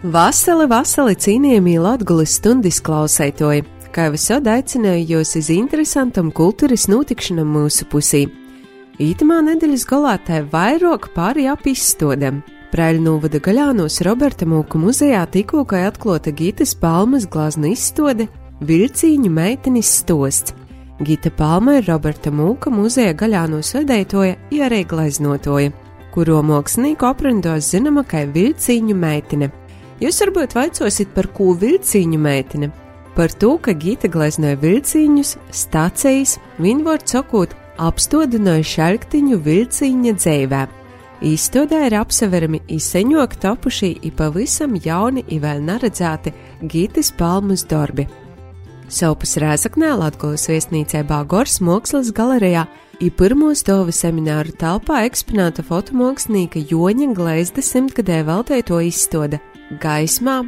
Vasali cīnījumī Latgulis stundis klausētoji, kā visod aicināju jūs uz interesantam kultūras notikšanam mūsu pusī. Ītamā nedēļas galā tai vairāk pāri ap izstodam. Praļnūvada Gaļānos Roberta Mūka muzejā tikko kai atklota Gitas Palmas glazna izstode Vilcīņu meitenis stosts. Gita Palma ir Roberta Mūka muzeja Gaļānos vedeitoja i arī gleznotoja, kuro mākslinieku aprindos zinama kai Vilcīņu meitene. Jūs varbūt vaicosit, par ko Vilcīņu meitene? Par to, ka Gita gleznoja vilcīņus, stacijas, viņvārds sakot, apstodināja šalktiņu vilcīņa dzeivē. Izstodē ir apseverami izseņok topušī i pavisam jauni i vēl neredzēti Gitas Palmas darbi. Saupus Rēzaknē Latgulis viesnīcībā Gors Mākslas galerijā i pirmo stāvu semināru telpā eksponēta fotomākslinieka Joņa Gleizda 100-gadē veltēto izstoda Gaismā.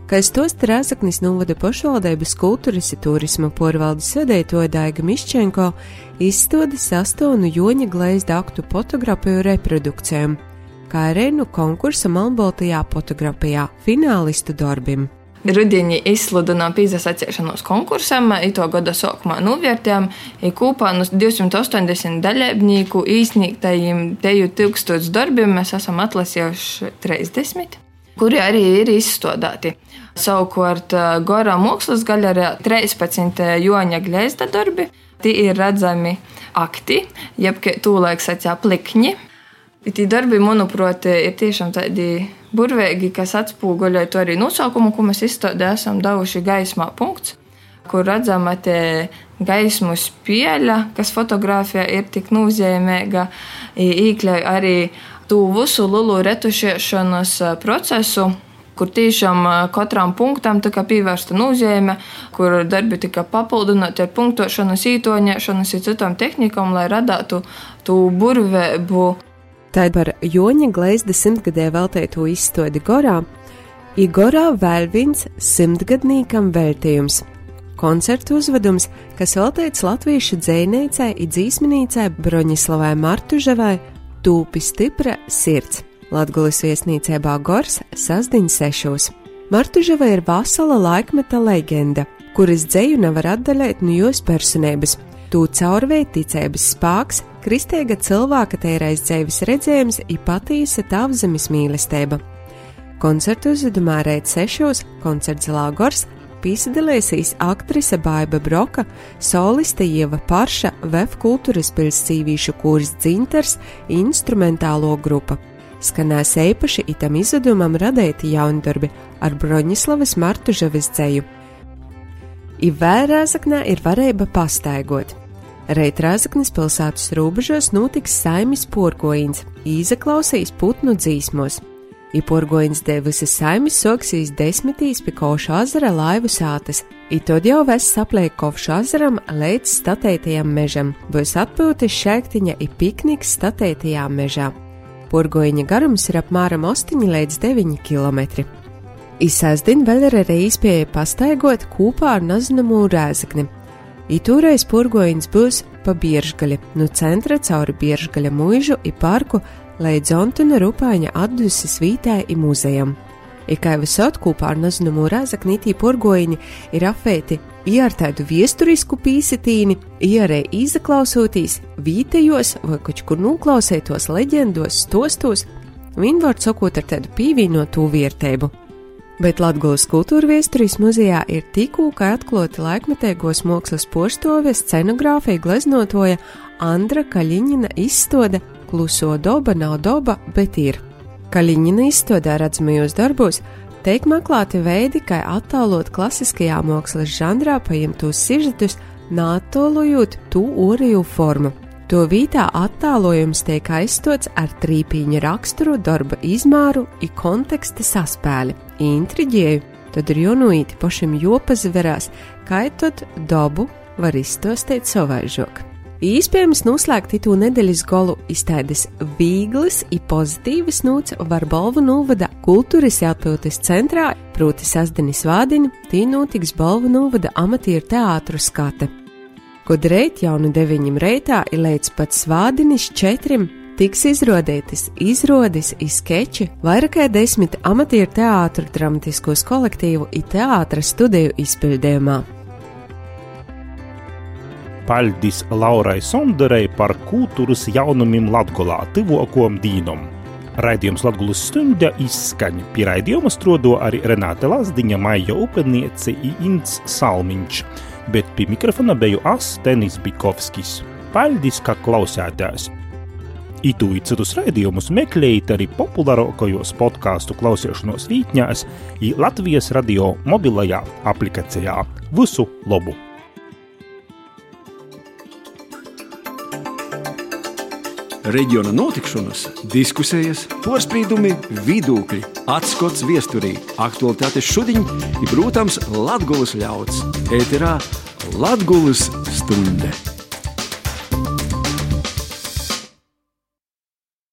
Kā stost Rēzaknis novada pašvaldības kultūras i turisma porvaldes vedeitoja Daiga Miščenko, izstoda sastāvnu Joņa Gleizda aktu fotografiju reprodukcijām, kā arī nu konkursa Melnbaltajā fotografijā finālistu darbim. Rudiņi izsludinām pīzasaciešanos konkursam, ito gada sākumā novērtējām, kopā no 280 dalībnieku īsniegtajiem 1000 darbiem mēs esam atlasījuši 30, kuri arī ir izstādāti. Savukārt Gora Mākslas galerijā 13 Joņa Gleizda darbi, tie ir redzami akti, jeb tūlaik sacīja plikņi. Tie darbi, manuprāt, ir tiešām tādi burvīgi, kas atspūguļoja to arī nosaukumu, ko mēs izstādē esam devuši Gaismā. Kur redzama te gaismu spēļa, kas fotografijā ir tik nozīmīga, iekļauj arī tū visu lielu retušēšanas procesu, kur tiešām katram punktam tika pievērsta nozīme, kur darbi tika papildināti ar punktošanas, ītoņēšanas un citām tehnikām, lai radātu tū burvību. Tā par Joņa Gleizda 100-gadē veltēto izstodi Gorā, i Gorā vēl viens 100-gadnīkam veltījums. Koncertu uzvedums, kas veltēts latviešu dzejniecei i dzīsminīcei Broņislavai Martuževai Tūpi stipra sirds. Latgulis viesnīcībā Gors sasdiņ 6. Martuževa ir vasala laikmeta leģenda, kuras dzeju nevar atdaļēt no jos personības. Tū caurvēj ticības spāks, kristīga cilvēka teirais dzeivis redzējums i patīsa tavzemes mīlestība. Koncertu uzvedumā reit 6. koncertzalā Gors pīsadalēsīs aktrise Baiba Broka, soliste Ieva Parša, VF kultūras pilscīvīšu kurs Dzintars, instrumentālo grupa. Skanēs eipaši itam izvedumam radēti jaundarbi ar Broņislavas Martuževas dzeju. I vēl Rēzaknē ir varēba pastaigot. Reit Rēzaknes pilsētas robežos notiks saimis porgojins, īzaklausīs putnu dzīsmos. I porgojins dēļ visas saimis soksīs 10 pie Kovša ezera laivu sātas, i tad jau ves sapliek Kovša ezeram līdz statētajam mežam, būs atpūtis šēktiņa i pikniks statētajā mežā. Porgojiņa garums ir apmēram 8 līdz 9 kilometri. I sestdien vēl ir arī iespēja pastaigot kopā ar nazināmo Rēzakni. I toreiz porgojiņš būs pa Bieržgaļi, no centra cauri Bieržgaļa muižu i parku līdz Ontuna Rupāņa atduses vītē i muzejam. I kā visot kopā ar nazināmo Rēzakni tī porgojiņi ir apvēti i ar tādu viesturisku pīsitīni, i arī izaklausotīs vītejos vai kaut kur nuklausētos leģendos, stostos, viņvārds sakot ar tādu pīvīnotu vērtību. Bet Latgulis kultūra viesturis muzejā ir tikko kā atklāti laikmetīgos mākslas porstoves scenogrāfija gleznotoja Andra Kaļiņina izstoda Kluso doba nav doba, bet ir. Kaļiņina izstodē redzamajos darbos teik meklēti veidi, kā attālot klasiskajā mākslas žanrā paimtos sižetus, nātolojot tū oriju formu. To vītā attālojums tiek aizstots ar trīpīņa raksturu, darba izmēru i konteksta saspēli. Intriģēju, tad ir jonuīti pašam jopazaverās, kā tot dobu var izstostēt savaižok. Īspējams noslēgt itū nedēļas golu iztaides vīglis i pozitīvas nūts var Bolvu novada kultūras atpildes centrā, proti sastdienis vādiņu, tī notiks Bolvu novada amatieru teātru skate. Kod reit jaunu 9 reitā i līdz pat svādinis 4 tiks izrodētas izrodes i skeči vairākai 10 amatieru teātru dramatiskos kolektīvu i teātra studiju izpildījumā. Paļdis Laurai Sonderei par kultūras jaunumim Latgolā tyvuokom dīnom. Raidījums Latgulas stunda izskaņ. Pie raidījuma strodo arī Renāte Lazdiņa, Maija Upeniece i Ints Salmiņš, bet pie mikrofona beju Tenis Bikovskis. Paļdis, ka klausētās. Itū i citus raidījumus meklējot arī populārākajos podcastu klausīšanos vītņās i Latvijas radio mobilajā aplikācijā. Visu labu! Reģiona notikšanas, diskusijas, porspīdumi, vidūkļi, atskots viesturī, aktualitātes šudiņ i, protams, Latgulas ļauds. Ēterā Latgulas stunde.